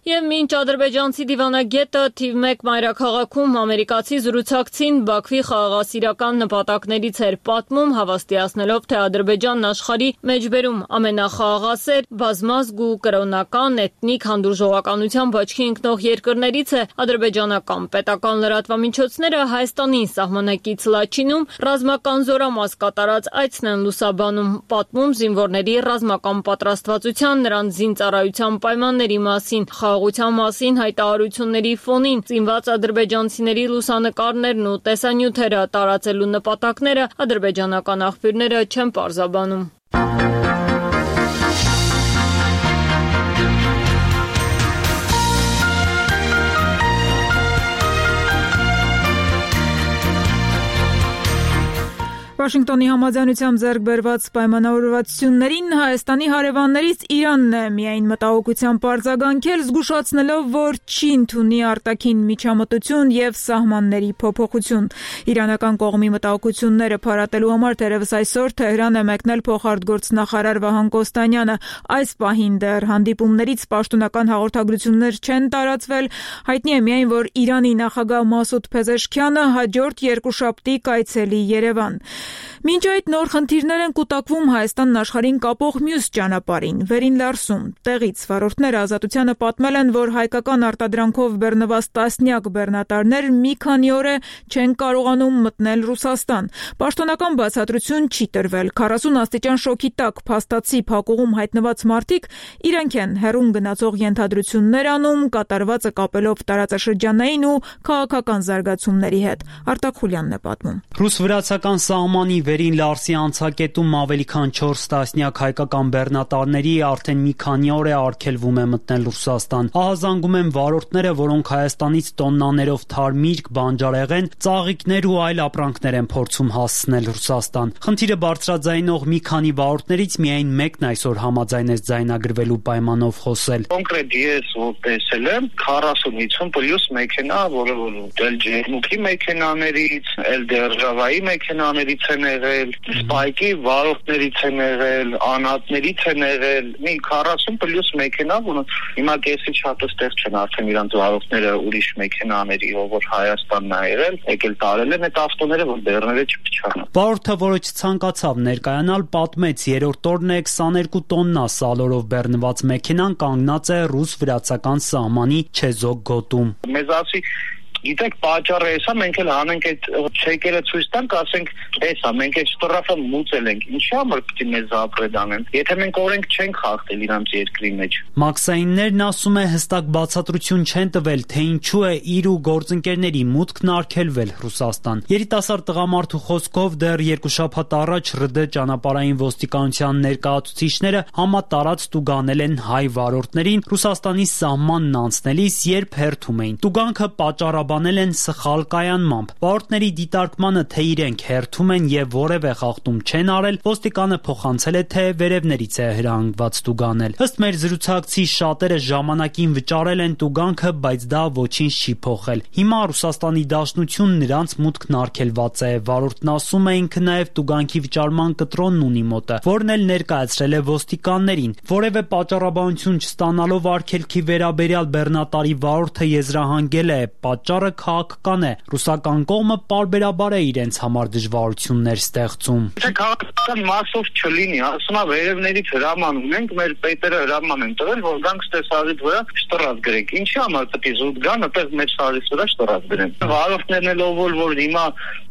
Եվ մինչ ադրբեջանցի դիվանագետը թիվ 1 մայրաքաղաքում ամերիկացի զրուցակցին Բաքվի խաղաղասիրական նպատակներից էր պատմում, հավաստիացնելով, թե Ադրբեջանն աշխարհի մեջբերում ամենախաղաղասեր, բազմազգ ու կրոնական, էթնիկ հանդուրժողականությամբ աչքի ընկնող երկրներից է, ադրբեջանական պետական լրատվամիջոցները Հայաստանին սահմանակից Լաչինում ռազմական զորամաս կատարած այցն են լուսաբանում, պատմում զինվորների ռազմական պատրաստվածության, նրանց զինծառայության պայմանների մասին, խաղաղության մասին հայտարարությունների ֆոնին ծինված ադրբեջանցիների լուսանկարներն ու տեսանյութերը տարածելու նպատակները ադրբեջանական աղբյուրները չեն պարզաբանում։ Վաշինգտոնի համաձայնությամբ ձեռք բերված պայմանավորվածություններին Հայաստանի հարևաններից Իրանն է միայն մտահոգության պարզագանքել, զգուշացնելով, որ չի ընդունի արտաքին միջամտություն եւ սահմանների փոփոխություն։ Իրանական կողմի մտահոգությունները փարատելու համար թերևս այսօր Թեհրան է մեկնել փոխարտգործնախարար Վահան Կոստանյանը։ Այս պահին դեռ հանդիպումներից պաշտոնական հաղորդագրություններ չեն տարածվել։ Հայտնի է միայն, որ Իրանի նախագահ Մասուդ Փեզեշքյանը հաջորդ երկուշաբթի կայցելի Երևան։ Մինչ այդ նոր խնդիրներ են կուտակվում Հայաստանն աշխարհին կապող մյուս ճանապարհին՝ Վերին Լարսում։ Տեղից վարորդները Ազատությանը պատմել են, որ հայկական արտադրանքով բեռնված տասնյակ բեռնատարներ մի քանի օր է չեն կարողանում մտնել Ռուսաստան։ Պաշտոնական բացատրություն չի տրվել։ 40 աստիճան շոկի տակ փաստացի փակուղում հայտնված մարդիկ իրենք են հեռուն գնացող ենթադրություններ անում, կատարվածը կապելով տարածաշրջանային ու քաղաքական զարգացումների հետ։ Արտակ Խուլյանն է պատմում։ Ռուս-վրացական սահմանի Վերին Լարսի անցակետում ավելի քան 4 տասնյակ հայկական բեռնատարների արդեն մի քանի օր է արգելվում է մտնել Ռուսաստան։ Ահազանգում են վարորդները, որոնք Հայաստանից տոննաներով թարմիրգ, բանջարեղեն, ծաղիկներ ու այլ ապրանքներ են փորձում հասցնել Ռուսաստան։ Խնդիրը բարձրաձայնող մի քանի վարորդներից միայն մեկն այսօր համաձայնեց ձայնագրվելու պայմանով խոսել։ Կոնկրետ ես որ տեսել եմ 40-50 պլյուս մեքենա, որը դել ջերմուկի մեքենաներից, էլ դերժավայի մեքենաներից են եղել, սպայկի վարորդներից են եղել, անհատներից են եղել, մի 40 պլյուս մեքենա, որոնք հիմա կեսից շատ ստեղ չեն արդեն իրանց վարորդները ուրիշ մեքենաների, որ Հայաստանն է եղել, եկել տարել են այդ ավտոները, որ բեռները չփչանան։ Վարորդը, որը չցանկացավ ներկայանալ, պատմեց, երրորդ օրն է 22 տոննա սալորով բեռնված մեքենան կանգնած է ռուս-վրացական սահմանի Չեզոկ գոտում։ Մեզ ասի Գիտեք, պատճառը էսա, մենք էլ հանենք այդ չեկերը ցույց տանք, ասենք, էսա, մենք այդ շտրաֆը մուծել ենք։ Ինչի համար պիտի մեզ ապրեդ անեն։ Եթե մենք օրենք չենք խախտել իրանց երկրի մեջ։ Մաքսայիններն ասում է հստակ բացատրություն չեն տվել, թե ինչու է իր ու գործընկերների մուտքն արգելվել Ռուսաստան։ Երիտասարդ տղամարդու խոսքով դեռ 2 շաբաթ առաջ ՌԴ ճանապարհային ոստիկանության ներկայացուցիչները համատարած տուգանել են հայ վարորդներին Ռուսաստանի սահմանն անցնելիս, երբ հերթում էին։ Տուգանքը պատճառաբանել են սխալ կայանմամբ։ Վարորդների դիտարկմանը, թե իրենք հերթում են եւ որևէ խախտում չեն արել, ոստիկանը փոխանցել է, թե վերևներից է հրահանգված տուգանել։ Ըստ մեր զրուցակցի շատերը ժամանակին վճարել են տուգանքը, բայց դա ոչինչ չի փոխել։ Հիմա Ռուսաստանի Դաշնությունն նրանց մուտքն արգելված է։ Վարորդն ասում է, ինքը նաեւ տուգանքի վճարման կտրոնն ունի մոտը, որն էլ ներկայացրել է ոստիկաններին։ Որևէ պատճառաբանություն չստանալով արգելքի վերաբերյալ բեռնատարի վարորդը եզրահանգել է, պատճառը քաղաքական է։ Ռուսական կողմը պարբերաբար է իրենց համար դժվարություններ ստեղծում։ Թե քաղաքական մասով չլինի, ասում է վերևներից հրաման ունենք, մեր պետերը հրաման են տվել, որ գանք ստե սարից վրա շտրած գրենք։ Ինչի համար պետք է զուտ գան, այդպես մեր սարից վրա շտրած գրեն։ Վարորդներն էլ որ հիմա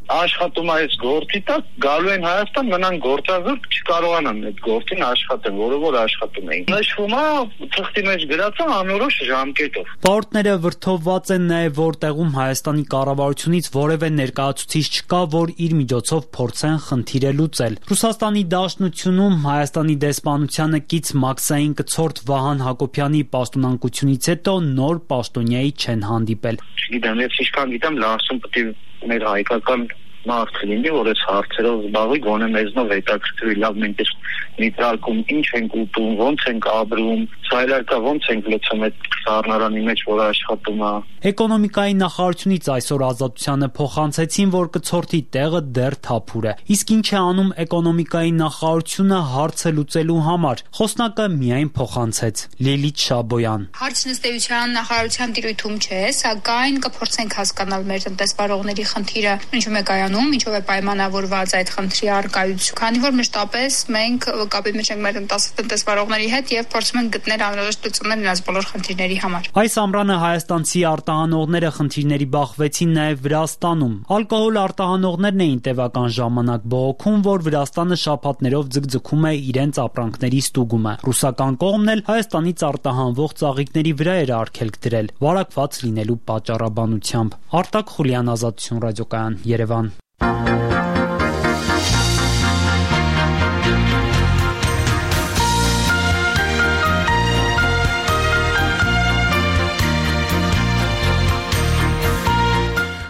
աշխատում այս գործի տակ, գալու են Հայաստան, մնան գործազուրկ, չկարողանան այդ գործին աշխատել, որը որ աշխատում էին։ Նշվում է թղթի մեջ գրած անորոշ ժամկետով։ Վարորդները վրդովված են նաև, որ տեղում Հայաստանի կառավարությունից որևէ ներկայացուցիչ չկա, որ իր միջոցով փորձեն խնդիրը լուծել։ Ռուսաստանի Դաշնությունում Հայաստանի դեսպանությանը կից մաքսային կցորդ Վահան Հակոբյանի պաշտոնանկությունից հետո նոր պաշտոնյայի չեն հանդիպել։ Չգիտեմ, ես ինչքան գիտեմ, Լարսում պետք է մեր հայկական մարդ լինի, որ այս հարցերով զբաղվի, գոնե մեզնով հետաքրքրի, լավ, մենք այս նիտրալքում ինչ ենք ուտում, ոնց ենք ապրում, սայլարկա ոնց ենք լցում այդ սառնարանի մեջ, որ աշխատում է։ Էկոնոմիկայի նախարարությունից այսօր Ազատությանը փոխանցեցին, որ կցորդի տեղը դեռ թափուր է։ Իսկ ինչ է անում էկոնոմիկայի նախարարությունը հարցը լուծելու համար։ Խոսնակը միայն փոխանցեց Լիլիթ Շաբոյան։ Հարցն ըստ էության նախարարության տիրույթում չէ, սակայն կփորձենք հասկանալ մեր տնտեսվարողների խնդիրը ինչու է կայանում Իրանում, ինչով է պայմանավորված այդ խնդրի առկայությունը, քանի որ մշտապես մենք կապի մեջ ենք մեր տնտեսվարողների հետ եւ փորձում ենք գտնել անհրաժեշտ լուծումներ նրանց բոլոր խնդիրների համար։ Այս ամռանը հայաստանցի արտահանողները խնդիրների բախվեցին նաև Վրաստանում։ Ալկոհոլ արտահանողներն էին տևական ժամանակ բողոքում, որ Վրաստանը շաբաթներով ձգձգում է իրենց ապրանքների ստուգումը։ Ռուսական կողմն էլ Հայաստանից արտահանվող ծաղիկների վրա էր արգելք դրել, վարակված լինելու պատճառաբանությամբ։ Արտակ Խուլյան, Ազատություն ռադիոկայան, Երևան։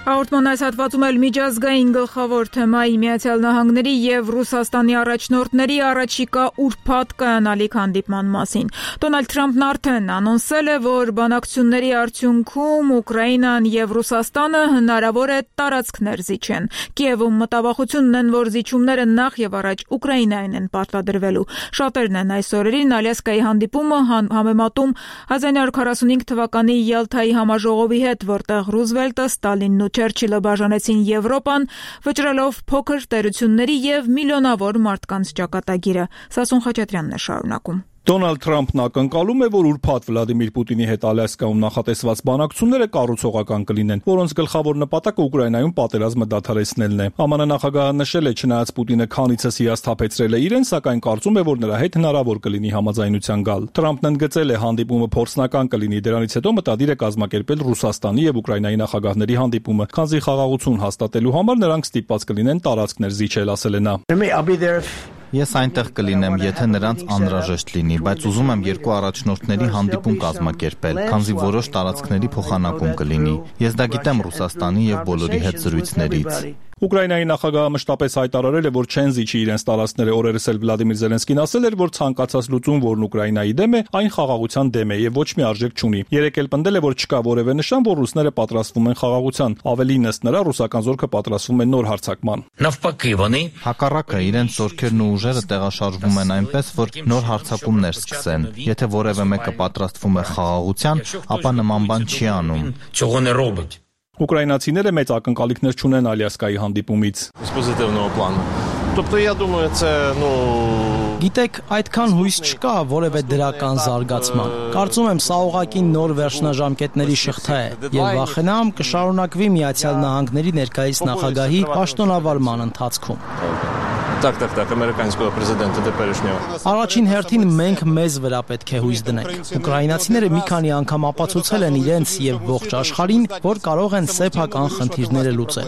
Հաղորդման այս հատվածում էլ միջազգային գլխավոր թեմայի Միացյալ Նահանգների եւ Ռուսաստանի առաջնորդների առաջիկա ուրբաթ կայանալիք հանդիպման մասին։ Դոնալդ Թրամփն արդեն անոնսել է, որ բանակցությունների արդյունքում Ուկրաինան եւ Ռուսաստանը հնարավոր է տարածքներ զիջեն։ Կիևում մտավախությունն են, որ զիջումները նախ եւ առաջ Ուկրաինային են պարտադրվելու։ Շատերն են այս օրերին Ալյասկայի հանդիպումը համեմատում 1945 թվականի Յալթայի համաժողովի հետ, որտեղ Ռուզվելտը, Ստալինն ու Չերչիլը բաժանեցին Եվրոպան, վճռելով փոքր տերությունների եւ միլիոնավոր մարդկանց ճակատագիրը։ Սասուն Խաչատրյանն է շարունակում։ Դոնալդ Թրամփն ակնկալում է, որ ուրբաթ Վլադիմիր Պուտինի հետ Ալյասկայում նախատեսված բանակցությունները կառուցողական կլինեն, որոնց գլխավոր նպատակը Ուկրաինայում պատերազմը դադարեցնելն է։ ԱՄՆ նախագահը նշել է, չնայած Պուտինը քանիցս հիասթափեցրել է իրեն, սակայն կարծում է, որ նրա հետ հնարավոր կլինի համաձայնության գալ։ Թրամփն ընդգծել է, հանդիպումը փորձնական կլինի, դրանից հետո մտադիր է կազմակերպել Ռուսաստանի եւ Ուկրաինայի նախագահների հանդիպումը, քանզի խաղաղություն հաստատելու համար նրանք ստիպված կլինեն տարածքներ զիջել, ասել է նա։ Ես այնտեղ կլինեմ, եթե նրանց անհրաժեշտ լինի, բայց ուզում եմ երկու առաջնորդների հանդիպում կազմակերպել, քանզի որոշ տարածքների փոխանակում կլինի։ Ես դա գիտեմ Ռուսաստանի եւ բոլորի հետ զրույցներից։ Ուկրաինայի նախագահը մշտապես հայտարարել է, որ չեն զիջի իրենց տարածքները, օրերս էլ Վլադիմիր Զելենսկին ասել էր, որ ցանկացած լուծում, որն Ուկրաինայի դեմ է, այն խաղաղության դեմ է եւ ոչ մի արժեք չունի։ Երեկ էլ պնդել է, որ չկա որևէ նշան, որ ռուսները պատրաստվում են խաղաղության։ Ավելին ըստ նրա, ռուսական զորքը պատրաստվում է նոր հարձակման։ Հակառակը, իրենց զորքերն ու ուժերը տեղաշարժվում են այնպես, որ նոր հարձակումներ սկսեն։ Եթե որևէ մեկը պատրաստվում է խաղաղության, ապա նման բան չի անում։ Ուկրաինացիները մեծ ակնկալիքներ չունեն Ալյասկայի հանդիպումից։ Գիտեք, այդքան հույս չկա որևէ դրական զարգացման։ Կարծում եմ, սա ուղղակի նոր վերջնաժամկետների շղթա է եւ վախենամ կշարունակվի Միացյալ Նահանգների ներկայիս նախագահի պաշտոնավարման ընթացքում։ ամերիկանского президента теперешнего. Առաջին հերթին մենք մեզ վրա պետք է հույս դնենք։ Ուկրաինացիները մի քանի անգամ ապացուցել են իրենց եւ ողջ աշխարհին, որ կարող են սեփական խնդիրները լուծել։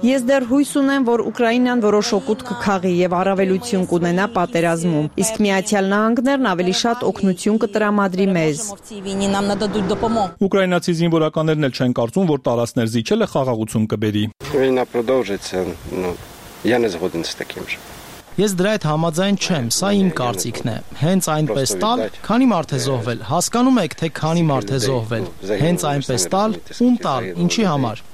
Ես դեռ հույս ունեմ, որ Ուկրաինան որոշ օգուտ կքաղի եւ առավելություն կունենա պատերազմում, իսկ Միացյալ Նահանգներն ավելի շատ օգնություն կտրամադրի մեզ։ Ուկրաինացի զինվորականներն էլ չեն կարծում, որ տարածքներ զիջելը խաղաղություն կբերի։ Я не згоден з таким же. Ես դրա հետ համաձայն չեմ, սա իմ կարծիքն է։ Հենց այնպես տալ, քանի մարդ է զոհվել, հասկանում եք, թե քանի մարդ է զոհվել։ Հենց այնպես տալ, ում տալ, ինչի համար։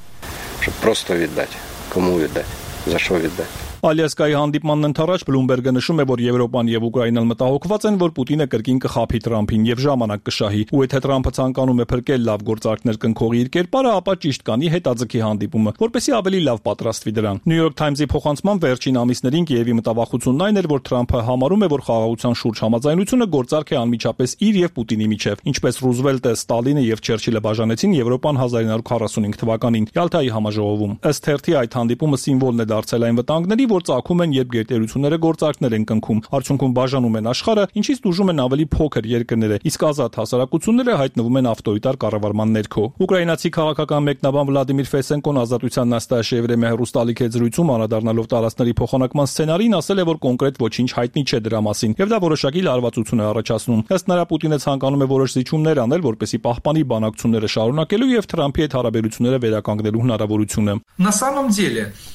Просто віддати. Кому віддати? За що віддати? Ալյասկայի հանդիպմանն ընթരാճ Բլումբերգը նշում է, որ Եվրոպան եւ Ուկրաինան մտահոգված են, որ Պուտինը կրկին կխաբի Թրամփին եւ ժամանակ կշահի։ Ու եթե Թրամփը ցանկանում է փրկել լավ գործարքներ կնքողի իր կերպարը, ապա ճիշտ կանի հետաձգի հանդիպումը, որպեսզի ավելի լավ պատրաստվի դրան։ Նյու Յորք Թայմզի փոխանցման վերջին ամիսներին Կիևի մտավախությունն այն էր, որ Թրամփը համարում է, որ խաղաղության շուրջ համաձայնությունը գործարք է անմիջապես իր եւ Պուտինի միջեւ, ինչպես Ռուզվելտը, Ստալինը եւ Չերչիլը բաժանեցին Եվրոպան 1945 թվականին Յալթայի համաժողովում։ Ըստ թերթի այդ հանդիպումը սիմվոլն է դարձել այն վտանգների, որ ծագում են, երբ գերտերությունները գործարքներ են կնքում, արդյունքում բաժանում են աշխարհը, ինչից դժում են ավելի փոքր երկրները, իսկ ազատ հասարակությունները հայտնվում են ավտորիտար կառավարման ներքո։ Ուկրաինացի քաղաքական մեկնաբան Վլադիմիր Ֆեսենկոն Ազատության Նաստաշիա Եվրեմիայի հեռուստալիքի հետ զրույցում անդրադառնալով տարածքների փոխանակման սցենարին ասել է, որ կոնկրետ ոչինչ հայտնի չէ դրա մասին, եւ դա որոշակի լարվածություն է առաջացնում։ Ըստ նրա Պուտինը ցանկանում է որոշ զիջումներ անել, որպեսզի պահպանի բանակցությունները շարունակելու եւ Թրամփի հետ հարաբերությունները վերականգնելու հնարավորությունը։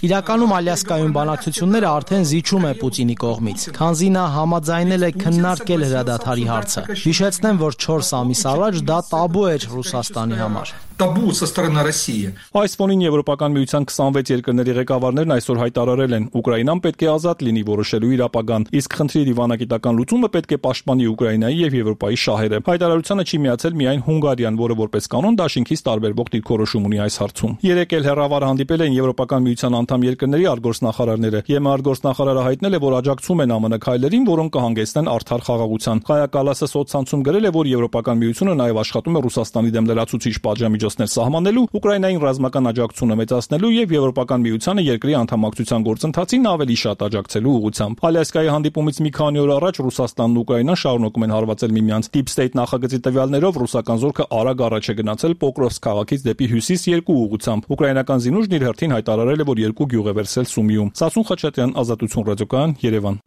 Իրականում Ալյասկայում բանակցությունները արդեն զիջում է Պուտինի կողմից, քանզի նա համաձայնել է քննարկել հրադադարի հարցը։ Հիշեցնեմ, որ 4 ամիս առաջ դա տաբու էր Ռուսաստանի համար։ табу со стороны России. Այս ֆոնին Եվրոպական միության 26 երկրների ղեկավարներն այսօր հայտարարել են. Ուկրաինան պետք է ազատ լինի որոշելու իր ապագան, իսկ խնդրի դիվանագիտական լուծումը պետք է պաշտպանի Ուկրաինայի եւ Եվրոպայի շահերը։ Հայտարարությանը չի միացել միայն Հունգարիան, որը որպես կանոն դաշինքից տարբերվող դիրքորոշում ունի այս հարցում։ Երեկ էլ հեռավար հանդիպել են Եվրոպական միության անդամ երկրների արտգործնախարարները։ ԵՄ արտգործնախարարը հայտնել է, որ աջակցում են ԱՄՆ քայլերին, որոնք կհանգեցնեն արդար խաղաղության։ Կայա Կալասը սոցցանցում գրել է, որ Եվրոպական միությունը նաև աշխատում է Ռուսաստանի դեմ լրացուցիչ պատժամիջոցներ սահմանելու, Ուկրաինային ռազմական աջակցությունը մեծացնելու եւ Եվրոպական միությանը երկրի անդամակցության գործընթացին ավելի շատ աջակցելու ուղղությամբ։ Ալյասկայի հանդիպումից մի քանի օր առաջ Ռուսաստանն ու Ուկրաինան շարունակում են հարվածել միմյանց։ Deep State նախագծի տվյալներով ռուսական զորքը արագ առաջ է գնացել Պոկրովսկ քաղաքից դեպի հյուսիս երկու ուղղությամբ։ Ուկրաինական զինուժն իր հերթին հայտարարել է, որ երկու գյուղ է վերցրել Սումիում։ Սասուն Խաչատրյան, Ազատություն ռադիոկայան, Երևան։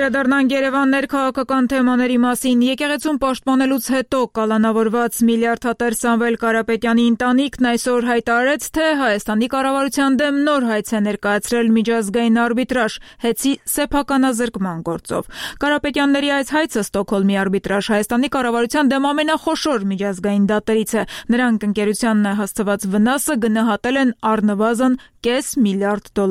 Վերադառնանք Երևան ներքաղաքական թեմաների մասին։ Եկեղեցուն պաշտպանելուց հետո կալանավորված միլիարդատեր Սամվել Կարապետյանի ընտանիքն այսօր հայտարարեց, թե Հայաստանի կառավարության դեմ նոր հայց է ներկայացրել միջազգային արբիտրաժ հեծի սեփականազրկման գործով։ Կարապետյանների այս հայցը Ստոկհոլմի արբիտրաժ Հայաստանի կառավարության դեմ ամենախոշոր միջազգային դատերից է։ Նրանք ընկերությանն հասցված վնասը գնահատել են առնվազն $500 միլիարդ։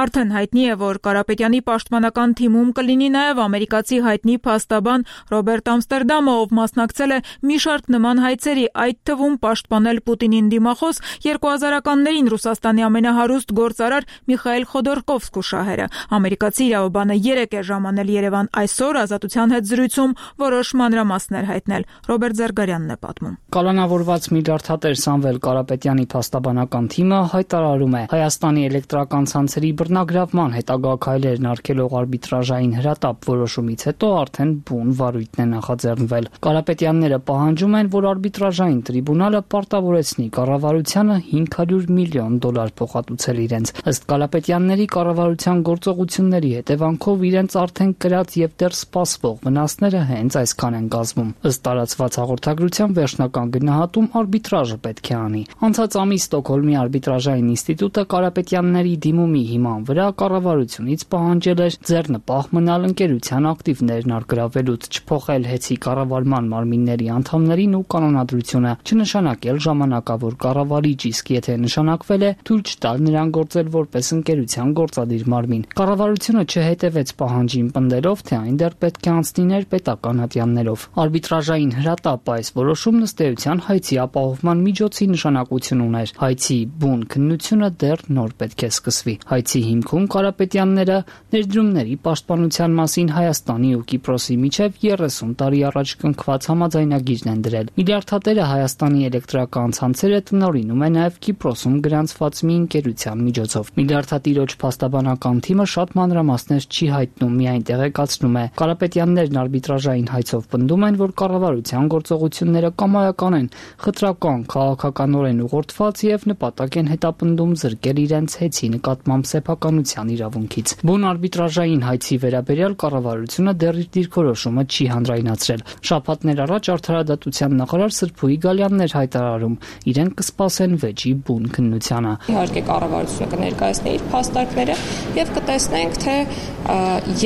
Արդեն հայտնի է, որ Կարապետյանի պաշտպանական թիմում կլինի նաև ամերիկացի հայտնի փաստաբան Ռոբերտ Ամստերդամը, ով մասնակցել է մի շարք նման հայցերի, այդ թվում պաշտպանել Պուտինին դիմախոս 2000-ականներին Ռուսաստանի ամենահարուստ գործարար Միխայիլ Խոդորկովսկու շահերը։ Ամերիկացի իրավաբանը երեկ է ժամանել Երևան, այսօր Ազատության հետ զրույցում որոշ մանրամասներ հայտնել։ Ռոբերտ Զարգարյանն է պատմում։ Կալանավորված միլիարդատեր Սամվել Կարապետյանի փաստաբանական թիմը հայտարարում է Հայաստանի էլեկտրական ցանցերի բռնագրավման հետագա քայլերն արգելող արբիտրաժային հրատապ որոշումից հետո արդեն բուն վարույթն է նախաձեռնվել։ Կարապետյանները պահանջում են, որ արբիտրաժային տրիբունալը պարտավորեցնի կառավարությանը $500 միլիոն փոխհատուցել իրենց։ Ըստ Կարապետյանների, կառավարության գործողությունների հետևանքով իրենց արդեն կրած եւ դեռ սպասվող վնասները հենց այսքան են կազմում։ Ըստ տարածված հաղորդագրության վերջնական գնահատում արբիտրաժը պետք է անի։ Անցած ամիս Ստոկհոլմի արբիտրաժային ինստիտուտը Կարապետյանների դիմումի հիման վրա կառավարությունից պահանջել էր ձեռնպահ մնալ ընկերության ակտիվներն արգրավելուց, չփոխել հեծի կառավարման մարմինների անդամներին ու կանոնադրությունը, չնշանակել ժամանակավոր կառավարիչ, իսկ եթե նշանակվել է, թույլ չտալ նրան գործել որպես ընկերության գործադիր մարմին։ Կառավարությունը չհետևեց պահանջին, պնդելով, թե այն դեռ պետք է անցնի ներպետական ատյաններով։ Արբիտրաժային հրատապ այս որոշումն ըստ էության հայցի ապահովման միջոցի նշանակություն ուներ։ Հայցի բուն քննությունը դեռ նոր պետք է սկսվի։ Հայցի հիմքում Կարապետյանները ներդրումների պաշտպանության մասին Հայաստանի ու Կիպրոսի միջև 30 տարի առաջ կնքված համաձայնագիրն են դրել։ Միլիարդատերը Հայաստանի էլեկտրական ցանցերը տնօրինում է նաև Կիպրոսում գրանցված մի ընկերության միջոցով։ Միլիարդատիրոջ փաստաբանական թիմը շատ մանրամասներ չի հայտնում, միայն տեղեկացնում է։ Կարապետյաններն արբիտրաժային հայցով պնդում են, որ կառավարության գործողությունները կամայական են, խտրական, քաղաքականորեն ուղղորդված եւ նպատակ են հետապնդում զրկել իրենց հեծի նկատմամբ սեփականության իրավունքից։ Բուն արբիտրաժային հայցի վերաբերյալ կառավարությունը դեռ իր դիրքորոշումը չի հանրայնացրել։ Շաբաթներ առաջ Արդարադատության նախարար Սրփուհի Գալյանն էր հայտարարում, իրենք կսպասեն վեճի բուն քննությանը։ Իհարկե կառավարությունը կներկայացնի իր փաստարկները եւ կտեսնենք, թե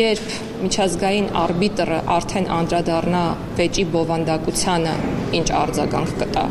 երբ միջազգային արբիտրը արդեն անդրադառնա վեճի բովանդակությանը, ինչ արձագանք կտա։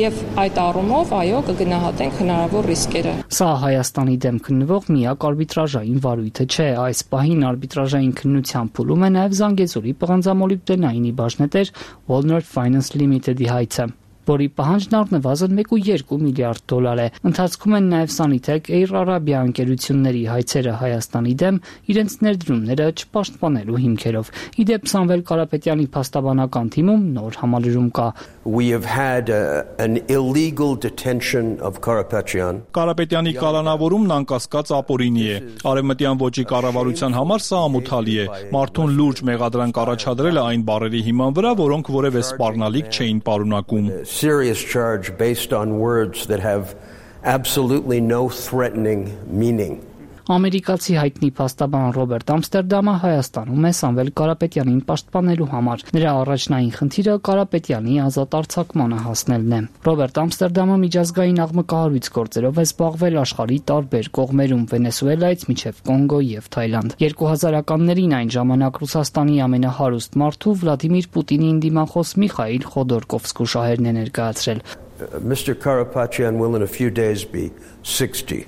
Եվ այդ առումով, այո, կգնահատենք հնարավոր ռիսկերը։ Սա Հայաստանի դեմ քննվող միակ արբիտրաժային վարույթը չէ։ Այս պահին արբիտրաժային քննության փուլում է նաև Զանգեզուրի պղնձամոլիբդենայինի բաժնետեր Walnut Finance Limited-ի հայցը, որի պահանջն առնվազն $1.2 միլիարդ է։ Ընթացքում են նաև Sanitec Air Arabia ընկերությունների հայցերը Հայաստանի դեմ իրենց ներդրումները չպաշտպանելու հիմքերով։ Իդեպ Սամվել Կարապետյանի փաստաբանական թիմում նոր համալրում կա։ We have had an illegal detention of Karapetyan. Կարապետյանի կալանավորումն անկասկած ապօրինի է։ Արևմտյան ոճի կառավարության համար սա ամոթալի է։ Մարդուն լուրջ մեղադրանք առաջադրելը այն բառերի հիման վրա, որոնք որևէ սպառնալիք չէին պարունակում։ Serious charge based on words that have absolutely no threatening meaning. Ամերիկացի հայտնի փաստաբան Ռոբերտ Ամստերդամը Հայաստանում է Սամվել Կարապետյանին պաշտպանելու համար։ Նրա առաջնային խնդիրը Կարապետյանի ազատ արձակմանը հասնելն է։ Ռոբերտ Ամստերդամը միջազգային աղմկահարույց գործերով է զբաղվել աշխարհի տարբեր կողմերում՝ Վենեսուելայից մինչև Կոնգո եւ Թայլանդ։ 2000-ականներին այն ժամանակ Ռուսաստանի ամենահարուստ մարդու Վլադիմիր Պուտինին դիմախոս Միխայիլ Խոդորկովսկու շահերն է ներկայացրել։ Mr. Karapetyan will in a few days be 60.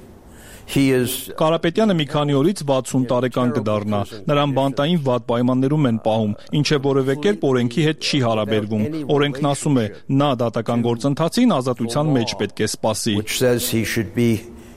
Կարապետյանը մի քանի օրից 60 տարեկան կդառնա։ Նրան բանտային վատ պայմաններում են պահում, ինչը որևէ կերպ օրենքի հետ չի հարաբերվում։ Օրենքն ասում է, նա դատական գործընթացին ազատության մեջ պետք է սպասի։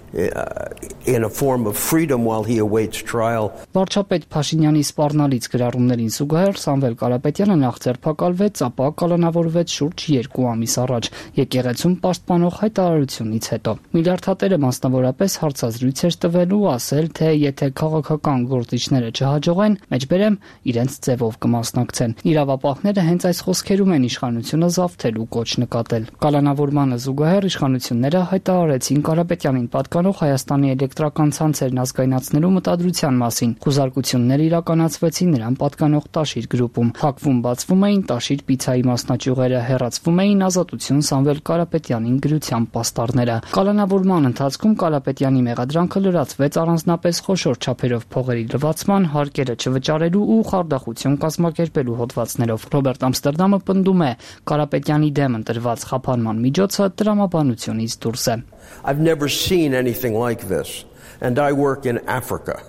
In a form of freedom while he awaits trial. Վարչապետ Փաշինյանի սպառնալից գրառումներին զուգահեռ Սամվել Կարապետյանը նախ ձերբակալվեց, ապա կալանավորվեց շուրջ 2 ամիս առաջ եկեղեցում պաշտպանող հայտարարությունից հետո։ Միլիարդատերը մասնավորապես հարցազրույց էր տվելու, ասել, թե եթե քաղաքական գործիչները չհաջողեն, մեջբերեմ իրենց ձևով կմասնակցեն։ Իրավապահները հենց այս խոսքերում են իշխանությունը զավթելու կոչ նկատել։ Կալանավորմանը զուգահեռ իշխանությունները հայտարարեցին Կարապետյանին Հայաստանի էլեկտրական ցանցերն ազգայնացնելու մտադրության մասին։ Խուզարկություններ իրականացվեցին նրան պատկանող Տաշիր գրուպում։ Փակվում բացվում էին Տաշիր պիցայի մասնաճյուղերը, հեռացվում էին Ազատություն Սամվել Կարապետյանին գրության պաստառները։ Կալանավորման ընթացքում Կարապետյանի մեղադրանքը լրացվեց առանձնապես խոշոր չափերով փողերի լվացման, հարկերը չվճարելու ու խարդախություն կազմակերպելու հոդվածներով։ Ռոբերտ Ամստերդամը պնդում է, Կարապետյանի դեմ ընտրված խափանման միջոցը տրամաբանությունից դուրս է։ I've never seen anything like this, and I work in Africa.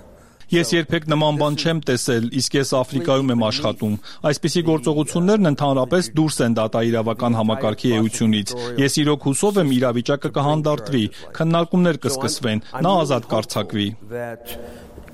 Ես երբեք նման բան չեմ տեսել, իսկ ես Աֆրիկայում եմ աշխատում։ Այսպիսի գործողություններն ընդհանրապես դուրս են դատաիրավական համակարգի էությունից։ Ես իրոք հուսով եմ իրավիճակը կհանդարտվի, քննարկումներ կսկսվեն, նա ազատ կարձակվի։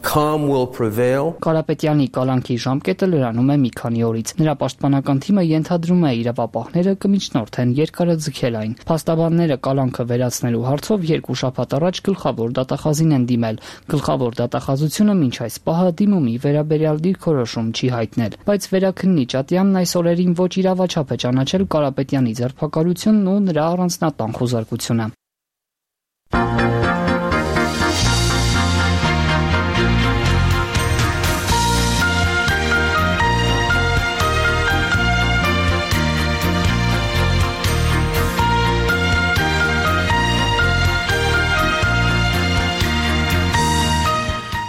Calm will prevail. Կարապետյանի կալանքի ժամկետը լրանում է մի քանի օրից։ Նրա պաշտպանական թիմը ենթադրում է իրավապահները կմիջնորդեն երկարաձգել այն։ Փաստաբանները կալանքը վերացնելու հարցով 2 շաբաթ առաջ գլխավոր դատախազին են դիմել։ Գլխավոր դատախազությունը մինչ այս պահը դիմումի վերաբերյալ դիրքորոշում չի հայտնել, բայց վերաքննիչ Ատյանն այս օրերին ոչ իրավաչափ է ճանաչել Կարապետյանի ձերբակալությունն ու նրա առանձնատան խուզարկությունը։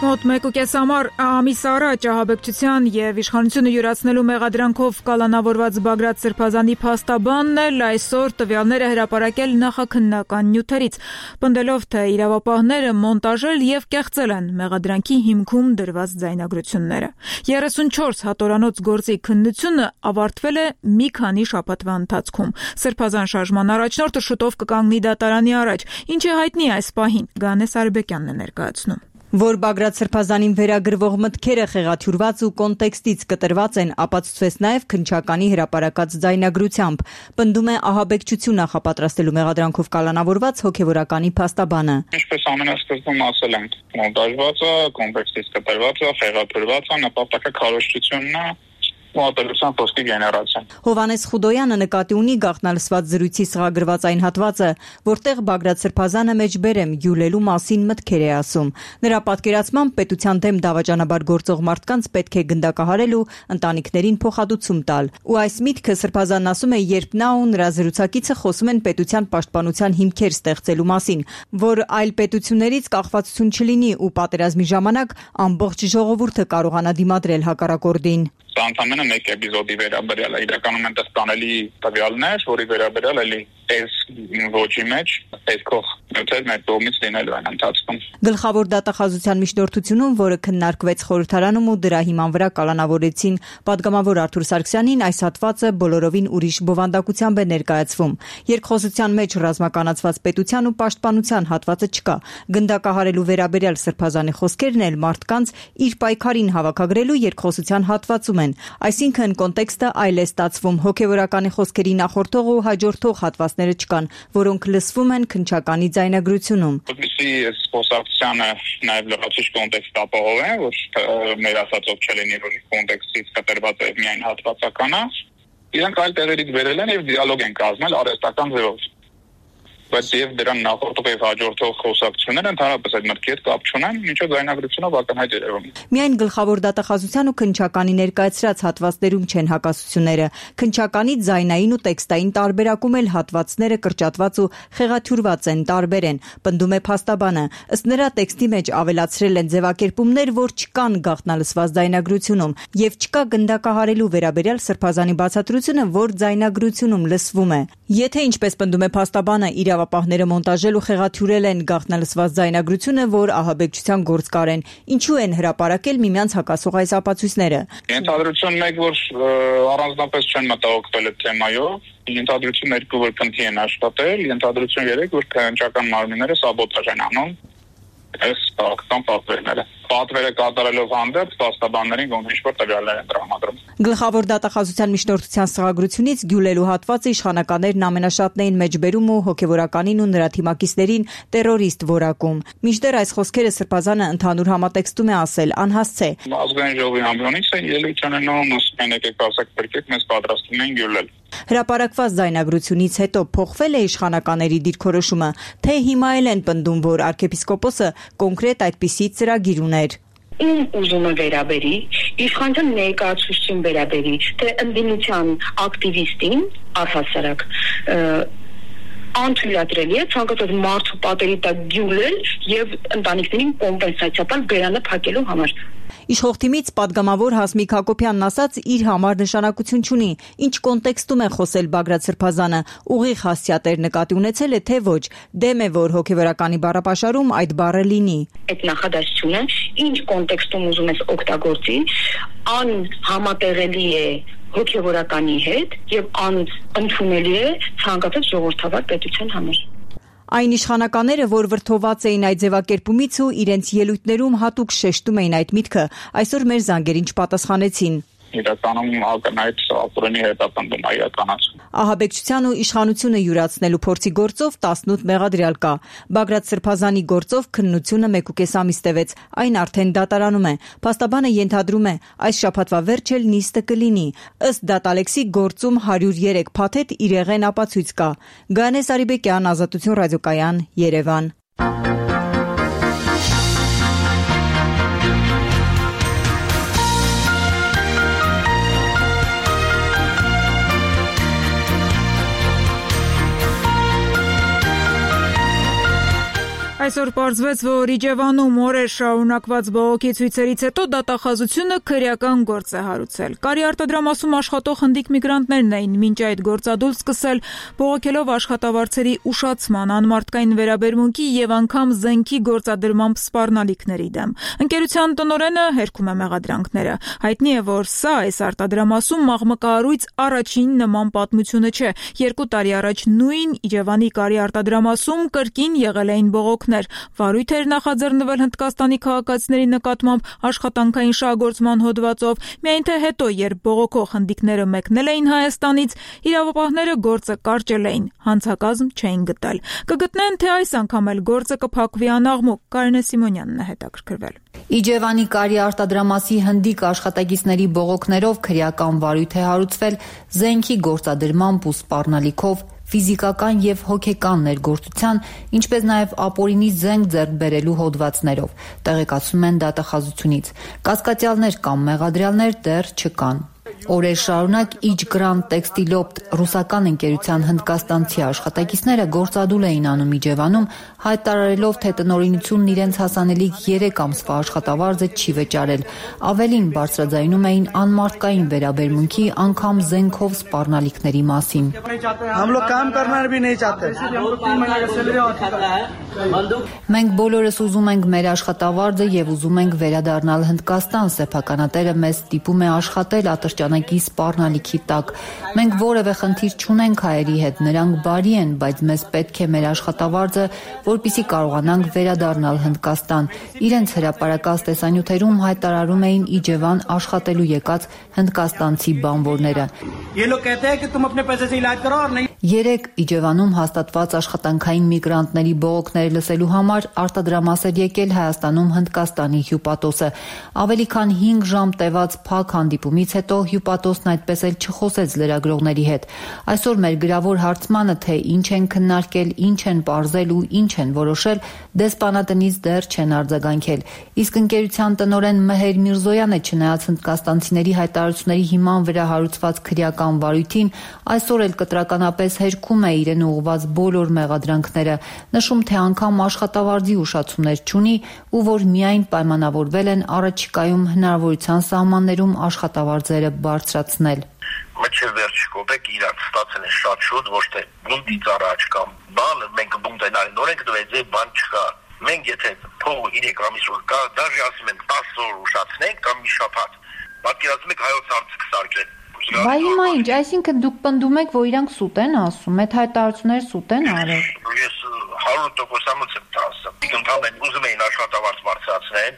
Մոտ 1.5 ամիս առաջ ահաբեկչության եւ իշխանությունը յուրացնելու մեղադրանքով կալանավորված Բագրատ Սրբազանի փաստաբանն էլ այսօր տվյալները հրապարակել նախաքննական նյութերից, պնդելով, թե իրավապահները մոնտաժել եւ կեղծել են մեղադրանքի հիմքում դրված ձայնագրությունները։ 34 հատորանոց գործի քննությունը ավարտվել է մի քանի շաբաթվա ընթացքում։ Սրբազան շարժման առաջնորդը շուտով կկանգնի դատարանի առաջ, ինչ է հայտնի այս պահին, Գանես Արբեկյանն է ներկայացնում։ Որ Բագրատ Սրբազանին վերագրվող մտքերը խեղաթյուրված ու կոնտեքստից կտրված են, ապացուցվեց նաև քննչականի հրապարակած ձայնագրությամբ, պնդում է ահաբեկչություն նախապատրաստելու մեղադրանքով կալանավորված հոգևորականի փաստաբանը։ Ինչպես ամենասկզբում ասել ենք, մոնտաժված է, կոնտեքստից կտրված է, խեղաթյուրված է, նպատակը քարոզչությունն է, մոտեցության խոսքի գեներացիան։ Հովանես Խուդոյանը նկատի ունի գաղտնալսված զրույցի սղագրված այն հատվածը, որտեղ Բագրատ Սրբազանը մեջբերեմ յուլելու մասին մտքեր է ասում։ Նրա պատկերացմամբ պետության դեմ դավաճանաբար գործող մարդկանց պետք է գնդակահարել ու ընտանիքներին փոխհատուցում տալ։ Ու այս միտքը Սրբազանն ասում է, երբ նա ու նրա զրուցակիցը խոսում են պետության պաշտպանության հիմքեր ստեղծելու մասին, որ այլ պետություններից կախվածություն չլինի ու պատերազմի ժամանակ ամբողջ ժողովուրդը կարողանա դիմադրել հակառակորդին։ Սա ընդամենը մեկ էպիզոդի վերաբերյալ է, իրականում են տանելի տվյալներ, որի վերաբերյալ էլի այս ոչի մեջ այսքող նյութեր մեր կողմից լինելու են ընթացքում։ Գլխավոր դատախազության միջնորդությունում, որը քննարկվեց խորհրդարանում ու դրա հիման վրա կալանավորեցին պատգամավոր Արթուր Սարգսյանին, այս հատվածը բոլորովին ուրիշ բովանդակությամբ է ներկայացվում։ Երկխոսության մեջ ռազմականացված պետության ու պաշտպանության հատվածը չկա։ Գնդակահարելու վերաբերյալ Սրբազանի խոսքերն էլ մարդկանց իր պայքարին հավաքագրելու երկխոսության հատվածում են։ Այսինքն կոնտեքստը այլ է ստացվում, հոգևորականի խոսքերի նախորդող ու հաջորդող հատվածները չկան, որոնք լսվում են քննչականի ձայնագրությունում։ Որպեսզի այս խոսակցությանը նաև լրացուցիչ կոնտեքստ ապահովեն, որ մեր ասածով չլինի, որ կոնտեքստից կտրված է միայն հատվածականը, իրենք այլ տեղերից վերել են եւ դիալոգ են կազմել արհեստական ձևով։ բայց եւ դրան նախորդող եւ հաջորդող խոսակցությունները ընդհանրապես այդ մտքի հետ կապ չունեն, ինչը ձայնագրությունով ակնհայտ երևում է։ Միայն գլխավոր դատախազության ու քննչականի ներկայացրած հատվածներում չեն հակասությունները։ Քննչականի ձայնային ու տեքստային տարբերակում էլ հատվածները կրճատված ու խեղաթյուրված են, տարբեր են, պնդում է փաստաբանը։ Ըստ նրա տեքստի մեջ ավելացրել են ձևակերպումներ, որ չկան գաղտնալսված ձայնագրությունում, եւ չկա գնդակահարելու վերաբերյալ սրբազանի բացատրությունը, որ ձայնագրությունում լսվում է։ Եթե ինչպես պնդում է փաստաբանը, իրավապահները մոնտաժել ու խեղաթյուրել են գաղտնալսված ձայնագրությունը, որ ահաբեկչության գործկար են, ինչու են հրապարակել միմյանց հակասող այս ապացույցները։ Ենթադրություն 1, որ առանձնապես չեն մտահոգվել այդ թեմայով, ենթադրություն 2, որ քննի են աշխատել, ենթադրություն 3, որ քննչական մարմինները սաբոտաժ են անում այս քաղաքական պատվերները։ Պատվերը կատարելով հանդերձ փաստաբաններին ոնց-որ տվյալներ են տրամադրում։ Գլխավոր դատախազության միջնորդության սղագրությունից գյուլելու հատվածը իշխանականներն ամենաշատն էին մեջբերում ու հոգևորականին ու նրա թիմակիցներին տերորիստ որակում։ Մինչդեռ այս խոսքերը սրբազանը ընդհանուր համատեքստում է ասել անհասց է։ Ազգային ժողովի ամբիոնից է ելույթ ունենում, ասում են եկեք ասեք բերկեք, մեզ պատրաստվում են գյուլել։ Հրապարակված ձայնագրությունից հետո փոխվել է իշխանականների դիրքորոշումը, թե հիմա էլ են պնդում, որ arczepiskopos-ը կոնկրետ այդպիսի ծրագիր ուներ։ Ում ուզումը վերաբերի, իշխանության ներկայացուցչին վերաբերի, թե ընդդիմության ակտիվիստին առհասարակ անթույլատրելի է ցանկացած մարդու պատերի տակ գյուլել եւ ընտանիքներին կոմպենսացիա տալ բերանը փակելու համար։ Իշխող թիմից պատգամավոր Հասմիկ Հակոբյանն ասաց, իր համար նշանակություն չունի, ինչ կոնտեքստում է խոսել Բագրատ Սրբազանը, ուղիղ հասցեատեր նկատի ունեցել է, թե ոչ, դեմ է, որ հոգևորականի բառապաշարում այդ բառը լինի։ Այդ նախադասությունը ինչ կոնտեքստում ուզում ես օգտագործի, անհամատեղելի է հոգևորականի հետ եւ անընդունելի է ցանկացած ժողովրդավար պետության համար։ Այն իշխանականները, որ վրդոված էին այդ ձևակերպումից ու իրենց ելույթներում հատուկ շեշտում էին այդ միտքը, այսօր մեր զանգերին չպատասխանեցին։ Իրականում ակնհայտ ապօրինի հետապնդում է իրականացում։ Ահաբեկչության ու իշխանությունը յուրացնելու փորձի գործով 18 մեղադրյալ կա։ Բագրատ Սրբազանի գործով քննությունը 1.5 ամիս տևեց, այն արդեն դատարանում է։ Փաստաբանը ենթադրում է, այս շաբաթվա վերջ էլ նիստը կլինի։ Ըստ դատալեքսի գործում 103 փաթեթ իրեղեն ապացույց կա։ Գանե Սարիբեկյան, Ազատություն ռադիոկայան, Երևան։ Այսօր պարզվեց, որ Իջևանում օրեր շարունակված բողոքի ցույցերից հետո դատախազությունը քրեական գործ է հարուցել։ Կարի արտադրամասում աշխատող հնդիկ միգրանտներն էին մինչ այդ գործադուլ սկսել բողոքելով աշխատավարձերի ուշացման, անմարդկային վերաբերմունքի եւ անգամ զենքի գործադրմամբ սպառնալիքների դեմ։ Ընկերության տնօրենը հերքում է մեղադրանքները։ Հայտնի է, որ սա այս արտադրամասում մաղմկահարույց առաջին նման պատմությունը չէ։ 2 տարի առաջ նույն Իջևանի Կարի արտադրամասում կրկին եղել էին բողոքներ։ Վարույթ էր նախաձեռնվել Հնդկաստանի քաղաքացիների նկատմամբ աշխատանքային շահագործման հոդվածով, միայն թե հետո, երբ բողոքող հնդիկները մեկնել էին Հայաստանից, իրավապահները գործը կարճել էին, հանցակազմ չէին գտել։ Կգտնեն, թե այս անգամ էլ գործը կփակվի անաղմուկ, Կարինե Սիմոնյանն է հետաքրքրվել։ Իջևանի Կարի արտադրամասի հնդիկ աշխատակիցների բողոքներով քրեական վարույթ է հարուցվել զենքի գործադրմամբ ու սպառնալիքով, ֆիզիկական եւ հոգեկան ներգործության, ինչպես նաեւ ապօրինի զենք ձեռք բերելու հոդվածներով, տեղեկացում են դատախազությունից։ Կասկածյալներ կամ մեղադրյալներ դեռ չկան։ Օրեր շարունակ Իջգրանտ տեքստիլոպտ ռուսական ընկերության հնդկաստանցի աշխատակիցները գործադուլ էին անում Իջևանում, հայտարարելով, թե տնօրինությունն իրենց հասանելիք 3 ամսվա աշխատավարձը չի վճարել։ Ավելին բարձրաձայնում էին անմարդկային վերաբերմունքի, անգամ զենքով սպառնալիքների մասին։ Մենք բոլորս ուզում ենք մեր աշխատավարձը եւ ուզում ենք վերադառնալ Հնդկաստան, սեփականատերը մեզ ստիպում է աշխատել ատրճանակի սպառնալիքի տակ։ Մենք որևէ խնդիր չունենք հայերի հետ, նրանք բարի են, բայց մեզ պետք է մեր աշխատավարձը, որպեսզի կարողանանք վերադառնալ Հնդկաստան։ Իրենց հրապարակած տեսանյութերում հայտարարում էին Իջևան աշխատելու եկած հնդկաստանցի բանվորները։ Երեկ Իջևանում հաստատված աշխատանքային միգրանտների բողոքները լսելու համար արտադրամաս էր եկել Հայաստանում Հնդկաստանի հյուպատոսը։ Ավելի քան 5 ժամ տևած փակ հանդիպումից հետո հյուպատոսն այդպես էլ չխոսեց լրագրողների հետ։ Այսօր մեր գրավոր հարցմանը, թե ինչ են քննարկել, ինչ են պարզել ու ինչ են որոշել, դեսպանատնից դեռ չեն արձագանքել։ Իսկ ընկերության տնօրեն Մեհեր Միրզոյանը, չնայած հնդկաստանցիների հայտարարությունների հիման վրա հարուցված քրեական վարույթին, այսօր էլ կտրականապես հերքում է իրեն ուղղված բոլոր մեղադրանքները, նշում, թե անգամ աշխատավարձի ուշացումներ չունի ու որ միայն պայմանավորվել են առաջիկայում հնարավորության սահմաններում աշխատավարձերը բարձրացնել։ Մինչև վերջ կոպեկ իրանք ստացել են շատ շուտ, ոչ թե բունտից առաջ կամ բանը, մենք բունտենալի նորենք դվեձե բան չկա։ Մենք եթե փողը 3 ամիս որ կա, դաժե ասում են 10 օր ուշացնենք կամ մի շաբաթ։ Պատկերացնում եք հայոց հարցը կսարքեն։ Բա հիմա ինչ, այսինքն դուք պնդում եք, որ իրանք սուտ են ասում, այդ հայտարարությունները սուտ են արել։ Ես 100% եմ ասում։ Ընդհանրեն ուզում էին աշխատավարձ բարձրացնել։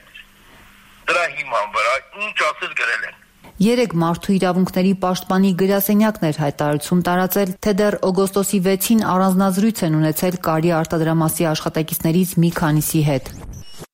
Դրա հիման վրա ինչ ասես գրել են։ Երեկ Մարդու իրավունքների պաշտպանի գրասենյակն էր հայտարարություն տարածել, թե դեռ օգոստոսի 6-ին առանձնազրույց են ունեցել Կարի արտադրամասի աշխատակիցներից մի քանիսի հետ։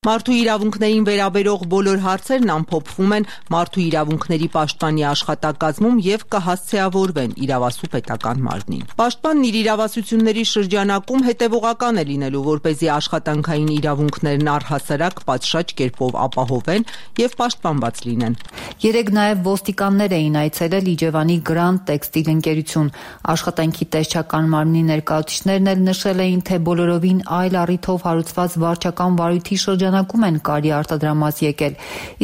Մարդու իրավունքներին վերաբերող բոլոր հարցերն ամփոփվում են Մարդու իրավունքների պաշտպանի աշխատակազմում եւ կհասցեավորվեն իրավասու պետական մարմնին։ Պաշտպանն իր իրավասությունների շրջանակում հետևողական է լինելու, որպեսզի աշխատանքային իրավունքներն առհասարակ պատշաճ կերպով ապահովեն եւ պաշտպանված լինեն։ Երեկ նաեւ ոստիկաններ էին այցելել Իջևանի Grand Textile ընկերություն։ Աշխատանքի տեսչական մարմնի ներկայացուցիչներն էլ նշել էին, թե բոլորովին այլ առիթով հարուցված վարչական վարույթի շրջանակում են Կարի արտադրամաս եկել,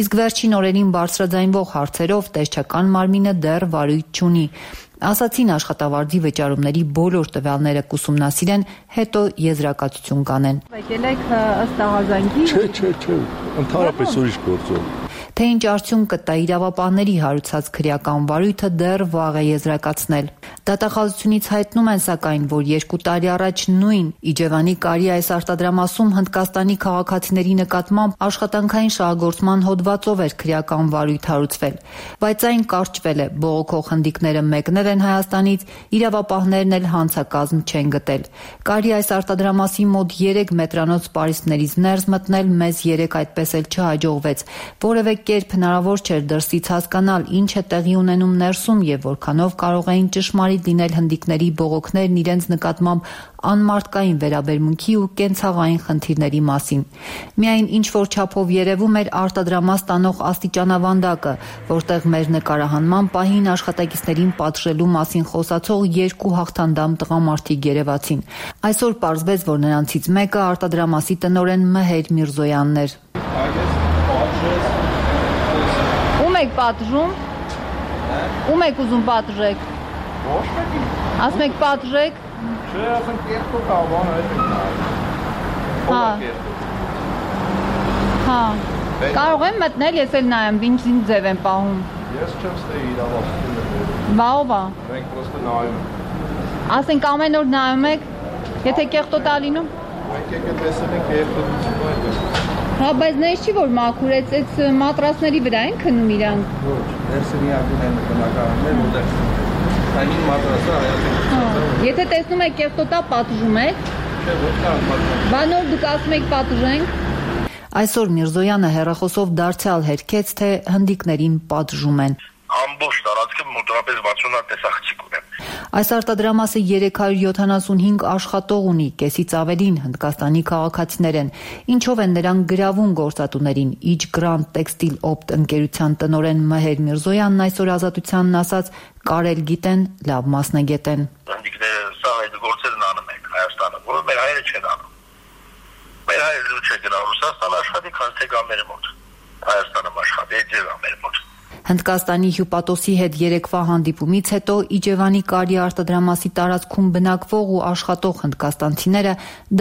իսկ վերջին օրերին բարձրաձայնվող հարցերով տեսչական մարմինը դեռ վարույթ չունի։ Ասացին աշխատավարձի վճարումների բոլոր տվյալները կուսումնասիրեն, հետո եզրակացություն կանեն։ Եկել եք ըստ աղազանգի։ Չէ, ընդհանրապես ուրիշ գործով։ Թե ինչ արդյունք կտա իրավապահների հարուցած քրեական վարույթը դեռ վաղ է եզրակացնել։ Դատախազությունից հայտնում են սակայն, որ 2 տարի առաջ նույն Իջևանի Կարի այս արտադրամասում Հնդկաստանի քաղաքացիների նկատմամբ աշխատանքային շահագործման հոդվածով էր քրեական վարույթ հարուցվել, բայց այն կարճվել է, բողոքող հնդիկները մեկնել են Հայաստանից, իրավապահներն էլ հանցակազմ չեն գտել։ Կարի այս արտադրամասի մոտ 3 մետրանոց պարիսպներից ներս մտնել մեզ 3 այդպես էլ չհաջողվեց, որևէ կերպ հնարավոր չէր դրսից հասկանալ ինչ է տեղի ունենում ներսում եւ որքանով կարող էին ճշմարիտ լինել հնդիկների բողոքներն իրենց նկատմամբ անմարդկային վերաբերմունքի ու կենցաղային խնդիրների մասին։ Միայն ինչ որ չափով երևում էր արտադրամաս տանող աստիճանավանդակը, որտեղ մեր նկարահանման պահին աշխատակիցներին պատժելու մասին խոսացող 2 հաղթանդամ տղամարդիկ երևացին։ Այսօր պարզվեց, որ նրանցից մեկը արտադրամասի տնօրեն Մեհեր Միրզոյանն էր։ Ում եք պատժում։ Ում եք ուզում պատժեք։ Ոչ մեկին։ Ասում եք պատժեք։ Չէ, ասեմ կերտո կավանը այդ է։ Հա։ Կարող եմ մտնել, ես էլ նայեմ, ինչ ձև եմ պահում։ Ես չեմ ստեի իրավասությունը։ Բա ով է։ Մենք պրոստը նայում ենք։ Ասենք ամեն օր նայում եք, եթե կեղտոտ է լինում։ Մենք եկել տեսել ենք կեղտոտություն այդպես։ Հա, բայց նայես չի, որ մաքուրեց, այդ մատրասների վրա են քնում իրանք։ Ոչ, ներսը միակուն են բնակարաններ, որտեղ այն մատրասը հայացք։ Եթե տեսնում եք կեղտոտա, պատժում եք։ Չէ, ոչ պատժում։ Բա նոր դուք ասում եք պատժենք։ Այսօր Միրզոյանը հեռախոսով դարձյալ հերքեց, թե հնդիկներին պատժում են։ Ամբողջ տարածքը մոտավորապես 60 տեսախցիկ ունեն։ Այս արտադրամասը 375 աշխատող ունի, կեսից ավելին Հնդկաստանի քաղաքացիներ են, ինչով են նրանք գրավում գործատուներին։ Իջ Grand Textile Opt ընկերության տնօրեն Մեհեր Միրզոյանն այսօր Ազատությանն ասաց, կարել գիտեն, լավ մասնագետ են։ Հնդիկները սա այդ գործերն անում են Հայաստանը, որը մեր հայերը չեն անում։ Մեր հայերը չէ գնա Ռուսաստան աշխատի, քան թե գա մեր մոտ։ Հայաստանը աշխատի, այդ մեր մոտ։ Հնդկաստանի հյուպատոսի հետ երեկվա հանդիպումից հետո Իջևանի Կարի արտադրամասի տարածքում բնակվող ու աշխատող հնդկաստանցիները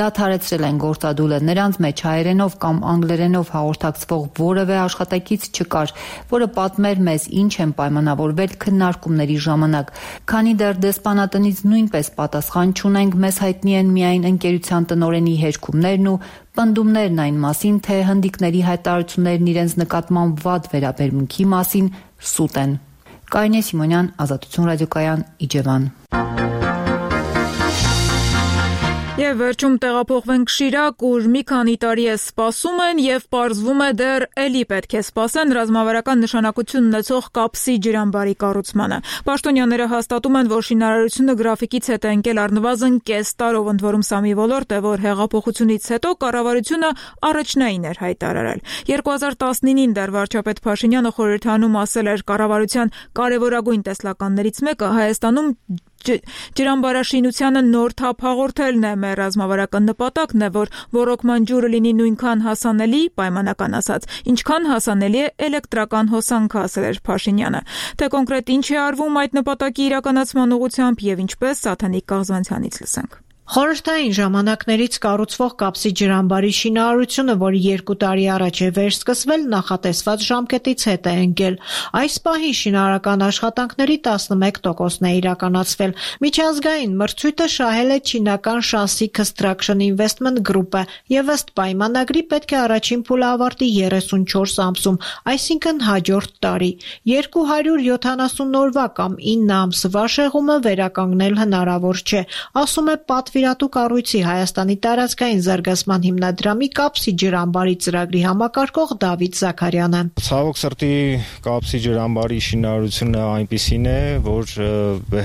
դադարեցրել են գործադուլը։ Նրանց մեջ հայերենով կամ անգլերենով հաղորդակցվող որևէ աշխատակից չկար, որը պատմեր մեզ ինչ են պայմանավորվել քննարկումների ժամանակ։ Քանի դեռ դեսպանատնից նույնպես պատասխան չունենք, մեզ հայտնի են միայն ընկերության տնօրենի հերքումներն ու պնդումներն այն մասին, թե հնդիկների հայտարարություններն իրենց նկատմամբ վատ վերաբերմունքի մասին սուտ են։ Կարինե Սիմոնյան, Ազատություն ռադիոկայան, Իջևան։ Եվ վերջում տեղափոխվենք Շիրակ, ուր մի քանի տարի է սպասում են եւ պարզվում է դեռ էլի պետք է սպասեն ռազմավարական նշանակություն ունեցող կապսի ջրամբարի կառուցմանը։ Պաշտոնյաները հաստատում են, որ շինարարությունը գրաֆիկից հետ է ընկել առնվազն կես տարով, ընդ որում սա մի ոլորտ է, որ հեղափոխությունից հետո կառավարությունը առաջնային էր հայտարարել։ 2019-ին դեռ վարչապետ Փաշինյանը խորհրդանում ասել էր, կառավարության կարևորագույն տեսլականներից մեկը Հայաստանում ջրամբարաշինությանը նոր թափ հաղորդելն է։ Մեր ռազմավարական նպատակն է, որ ռոռոկման ջուրը լինի նույնքան հասանելի, պայմանական ասած, ինչքան հասանելի է էլեկտրական հոսանքը, ասել էր Փաշինյանը։ Թե կոնկրետ ինչ է արվում այդ նպատակի իրականացման ուղղությամբ եւ ինչպես, Սաթանիկ Կաղզանցյանից լսենք։ Խորհրդային ժամանակներից կառուցվող կապսի ջրամբարի շինարարությունը, որը 2 տարի առաջ է վերսկսվել, նախատեսված ժամկետից հետ է ընկել։ Այս պահին շինարարական աշխատանքների 11%-ն է իրականացվել։ Միջազգային մրցույթը շահել է չինական Shaanxi Construction Investment Group-ը եւ ըստ պայմանագրի պետք է առաջին փուլը ավարտի 34 ամսում, այսինքն հաջորդ տարի։ 270 օրվա կամ 9 ամսվա շեղումը վերականգնել հնարավոր չէ, ասում է պատվիրատու կառույցի Հայաստանի տարածքային զարգացման հիմնադրամի կապսի ջրամբարի ծրագրի համակարգող Դավիթ Զաքարյանը։ Ցավոք սրտի կապսի ջրամբարի շինարարությունը այնպիսին է, որ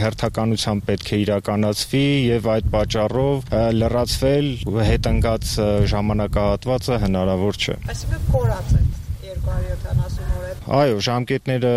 հերթականությամբ պետք է իրականացվի եւ այդ պատճառով լրացվել հետընկած ժամանակահատվածը հնարավոր չէ։ Այսինքն կորած է 270 օր։ Այո, ժամկետները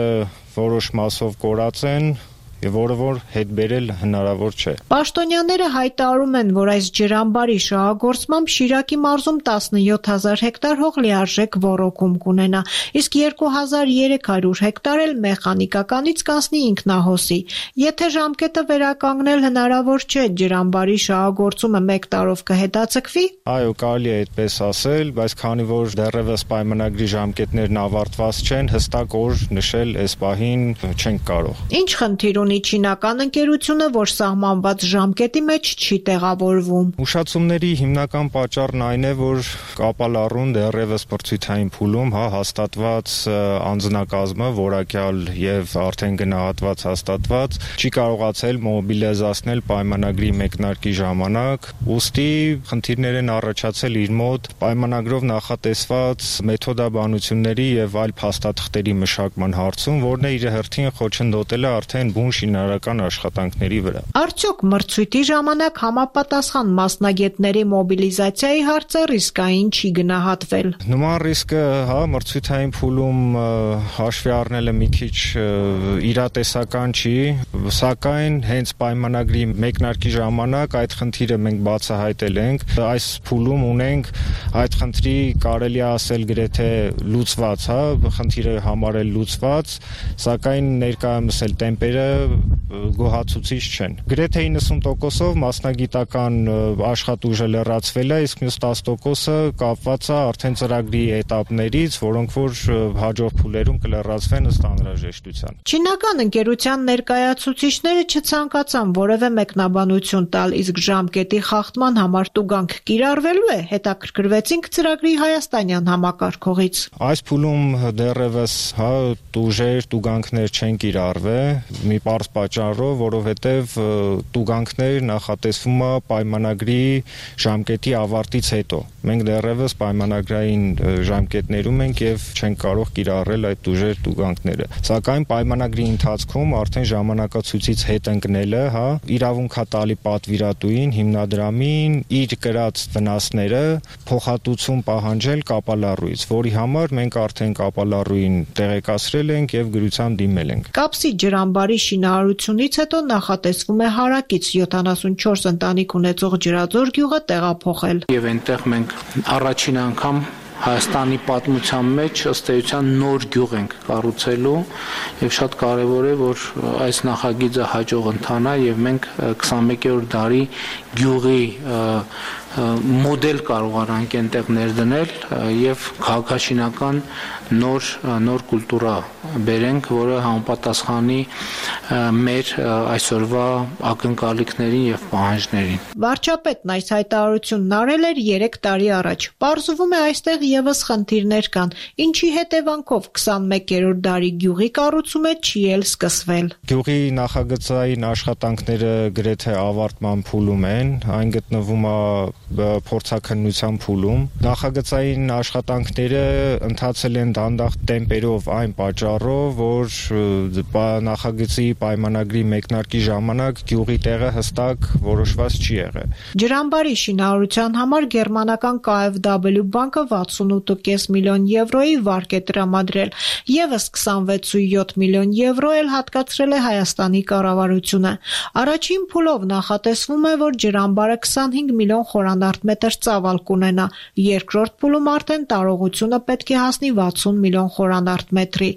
որոշ մասով կորած են եւ որը որ հետ բերել հնարավոր չէ։ Պաշտոնյաները հայտարարում են, որ այս ջրամբարի շահագործմամբ Շիրակի մարզում 17000 հեկտար հող լիարժեք ոռոգում կունենա, իսկ 2300 հեկտար էլ մեխանիկականից կանցնի ինքնահոսի։ Եթե ժամկետը վերականգնել հնարավոր չէ, ջրամբարի շահագործումը 1 տարով կհետաձգվի։ Այո, կարելի է այդպես ասել, բայց քանի որ դեռևս պայմանագրի ժամկետներն ավարտված չեն, հստակ օր նշել այս պահին չենք կարող։ Ինչ խնդիր ունի չինական ընկերությունը, որ սահմանված ժամկետի մեջ չի տեղավորվում։ Ուշացումների հիմնական պատճառն այն է, որ կապալառուն դեռևս մրցույթային փուլում հաստատված անձնակազմը, որակյալ եւ արդեն գնահատված հաստատված, չի կարողացել մոբիլիզացնել պայմանագրի մեկնարկի ժամանակ, ուստի խնդիրներ են առաջացել իր մոտ պայմանագրով նախատեսված մեթոդաբանությունների եւ այլ փաստաթղթերի մշակման հարցում, որն է իր հերթին խոչընդոտել է արդեն բուն շինարարական աշխատանքների վրա։ Արդյոք մրցույթի ժամանակ համապատասխան մասնագետների մոբիլիզացիայի հարցը ռիսկային չի գնահատվել։ Նման ռիսկը, մրցույթային փուլում հաշվի առնելը մի քիչ իրատեսական չի, սակայն հենց պայմանագրի մեկնարկի ժամանակ այդ խնդիրը մենք բացահայտել ենք։ Այս փուլում ունենք այդ խնդրի կարելի է ասել գրեթե լուծված, խնդիրը համարել լուծված, սակայն ներկայումս էլ տեմպերը գոհացուցիչ չեն։ Գրեթե 90%-ով մասնագիտական աշխատուժը լրացվել է, իսկ մյուս 10%-ը կապված է արդեն ծրագրի էտապներից, որոնք որ հաջորդ փուլերում կլրացվեն ըստ անհրաժեշտության։ Չինական ընկերության ներկայացուցիչները չցանկացան որևէ մեկնաբանություն տալ, իսկ ժամկետի խախտման համար տուգանք կիրառվելու է, հետաքրքրվեցինք ծրագրի հայաստանյան համակարգողից։ Այս փուլում դեռևս տուգանքներ չեն կիրառվել, մի պարզ պատճառով, որովհետև տուգանքներ նախատեսվում է պայմանագրի ժամկետի ավարտից հետո։ Մենք դեռևս պայմանագրային ժամկետներում ենք եւ չենք կարող կիրառել այդ ուժեր տուգանքները։ Սակայն պայմանագրի ընթացքում արդեն ժամանակացույցից հետ ընկնելը, իրավունք է տալի պատվիրատուին, հիմնադրամին իր կրած վնասները փոխհատուցում պահանջել կապալառուից, որի համար մենք արդեն կապալառուին տեղեկացրել ենք եւ գրությամբ դիմել ենք։ Կապսի ջրամբարի շինարարությունից հետո նախատեսվում է հարակից 74 ընտանիք ունեցող Ջրաձոր գյուղը տեղափոխել։ Եվ այնտեղ մենք առաջին անգամ Հայաստանի պատմության մեջ ըստ էության նոր գյուղ ենք կառուցելու եւ շատ կարեւոր է, որ այս նախագիծը հաջող ընթանա եւ մենք 21-րդ դարի գյուղի մոդել կարողանանք այնտեղ ներդնել եւ քաղաքաշինական նոր կուլտուրա բերենք, որը համապատասխանի մեր այսօրվա ակնկալիքներին եւ պահանջներին։ Վարչապետն այս հայտարարությունն արել էր 3 տարի առաջ։ Պարզվում է այստեղ եւս խնդիրներ կան, ինչի հետևանքով 21-րդ դարի գյուղի կառուցումը չի էլ սկսվել։ Գյուղի նախագծային աշխատանքները գրեթե ավարտման փուլում են, այն գտնվում է փորձաքննության փուլում։ Նախագծային աշխատանքները ընթացել են դանդաղ տեմպերով այն պատճառով, որ նախագծի պայմանագրի մեկնարկի ժամանակ գյուղի տեղը հստակ որոշված չի եղել։ Ջրամբարի շինարարության համար գերմանական KfW բանկը 68.5 միլիոն եվրոյի վարկ է տրամադրել, եւս 26.7 միլիոն եվրո էլ հատկացրել է Հայաստանի կառավարությունը։ Առաջին փուլով նախատեսվում է, որ ջրամբարը 25 միլիոն խորանարդ ծավալ կունենա, երկրորդ փուլում արդեն տարողությունը պետք է հասնի 60 միլիոն խորանարդ մետրի։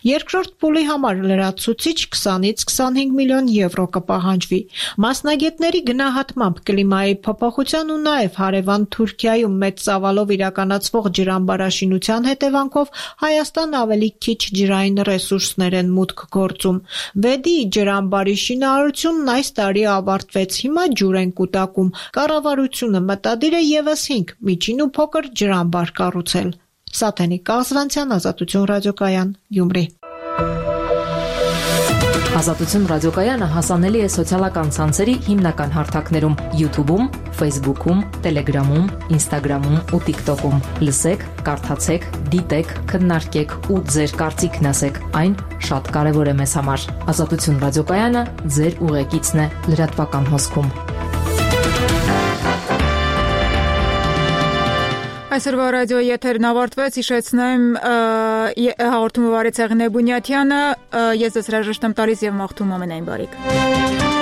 Երկրորդ փուլի համար լրացուցիչ 20-ից 25 միլիոն եվրո կպահանջվի։ Մասնագետների գնահատմամբ կլիմայի փոփոխության ու նաև հարևան Թուրքիայում մեծ ծավալով իրականացվող ջրամբարաշինության հետևանքով Հայաստան ավելի քիչ ջրային ռեսուրսներ են մուտք գործում։ Վեդի ջրամբարի շինարարությունն այս տարի ավարտվեց, հիմա ջուր են կուտակում։ Կառավարությունը մտադիր է եւս 5 միջին ու փոքր ջրամբար կառուցել։ Սաթենիկ Կազվանցյան, Ազատություն ռադիոկայան, Գյումրի։ Ազատություն ռադիոկայանը հասանելի է սոցիալական ցանցերի հիմնական հարթակներում՝ YouTube-ում, Facebook-ում, Telegram-ում, Instagram-ում ու TikTok-ում։ Լսեք, կարդացեք, դիտեք, քննարկեք ու ձեր կարծիքն ասեք։ Այն շատ կարևոր է մեզ համար։ Ազատություն ռադիոկայանը ձեր ուղեկիցն է լրատվական հոսքում։ Այսօրվա ռադիոյի եթերն ավարտվեց, հիշեցնեմ հաղորդումը վարեց Եղնե Բունյաթյանը, ես ձեզ հրաժեշտ եմ տալիս եւ մաղթում ամենայն բարիք։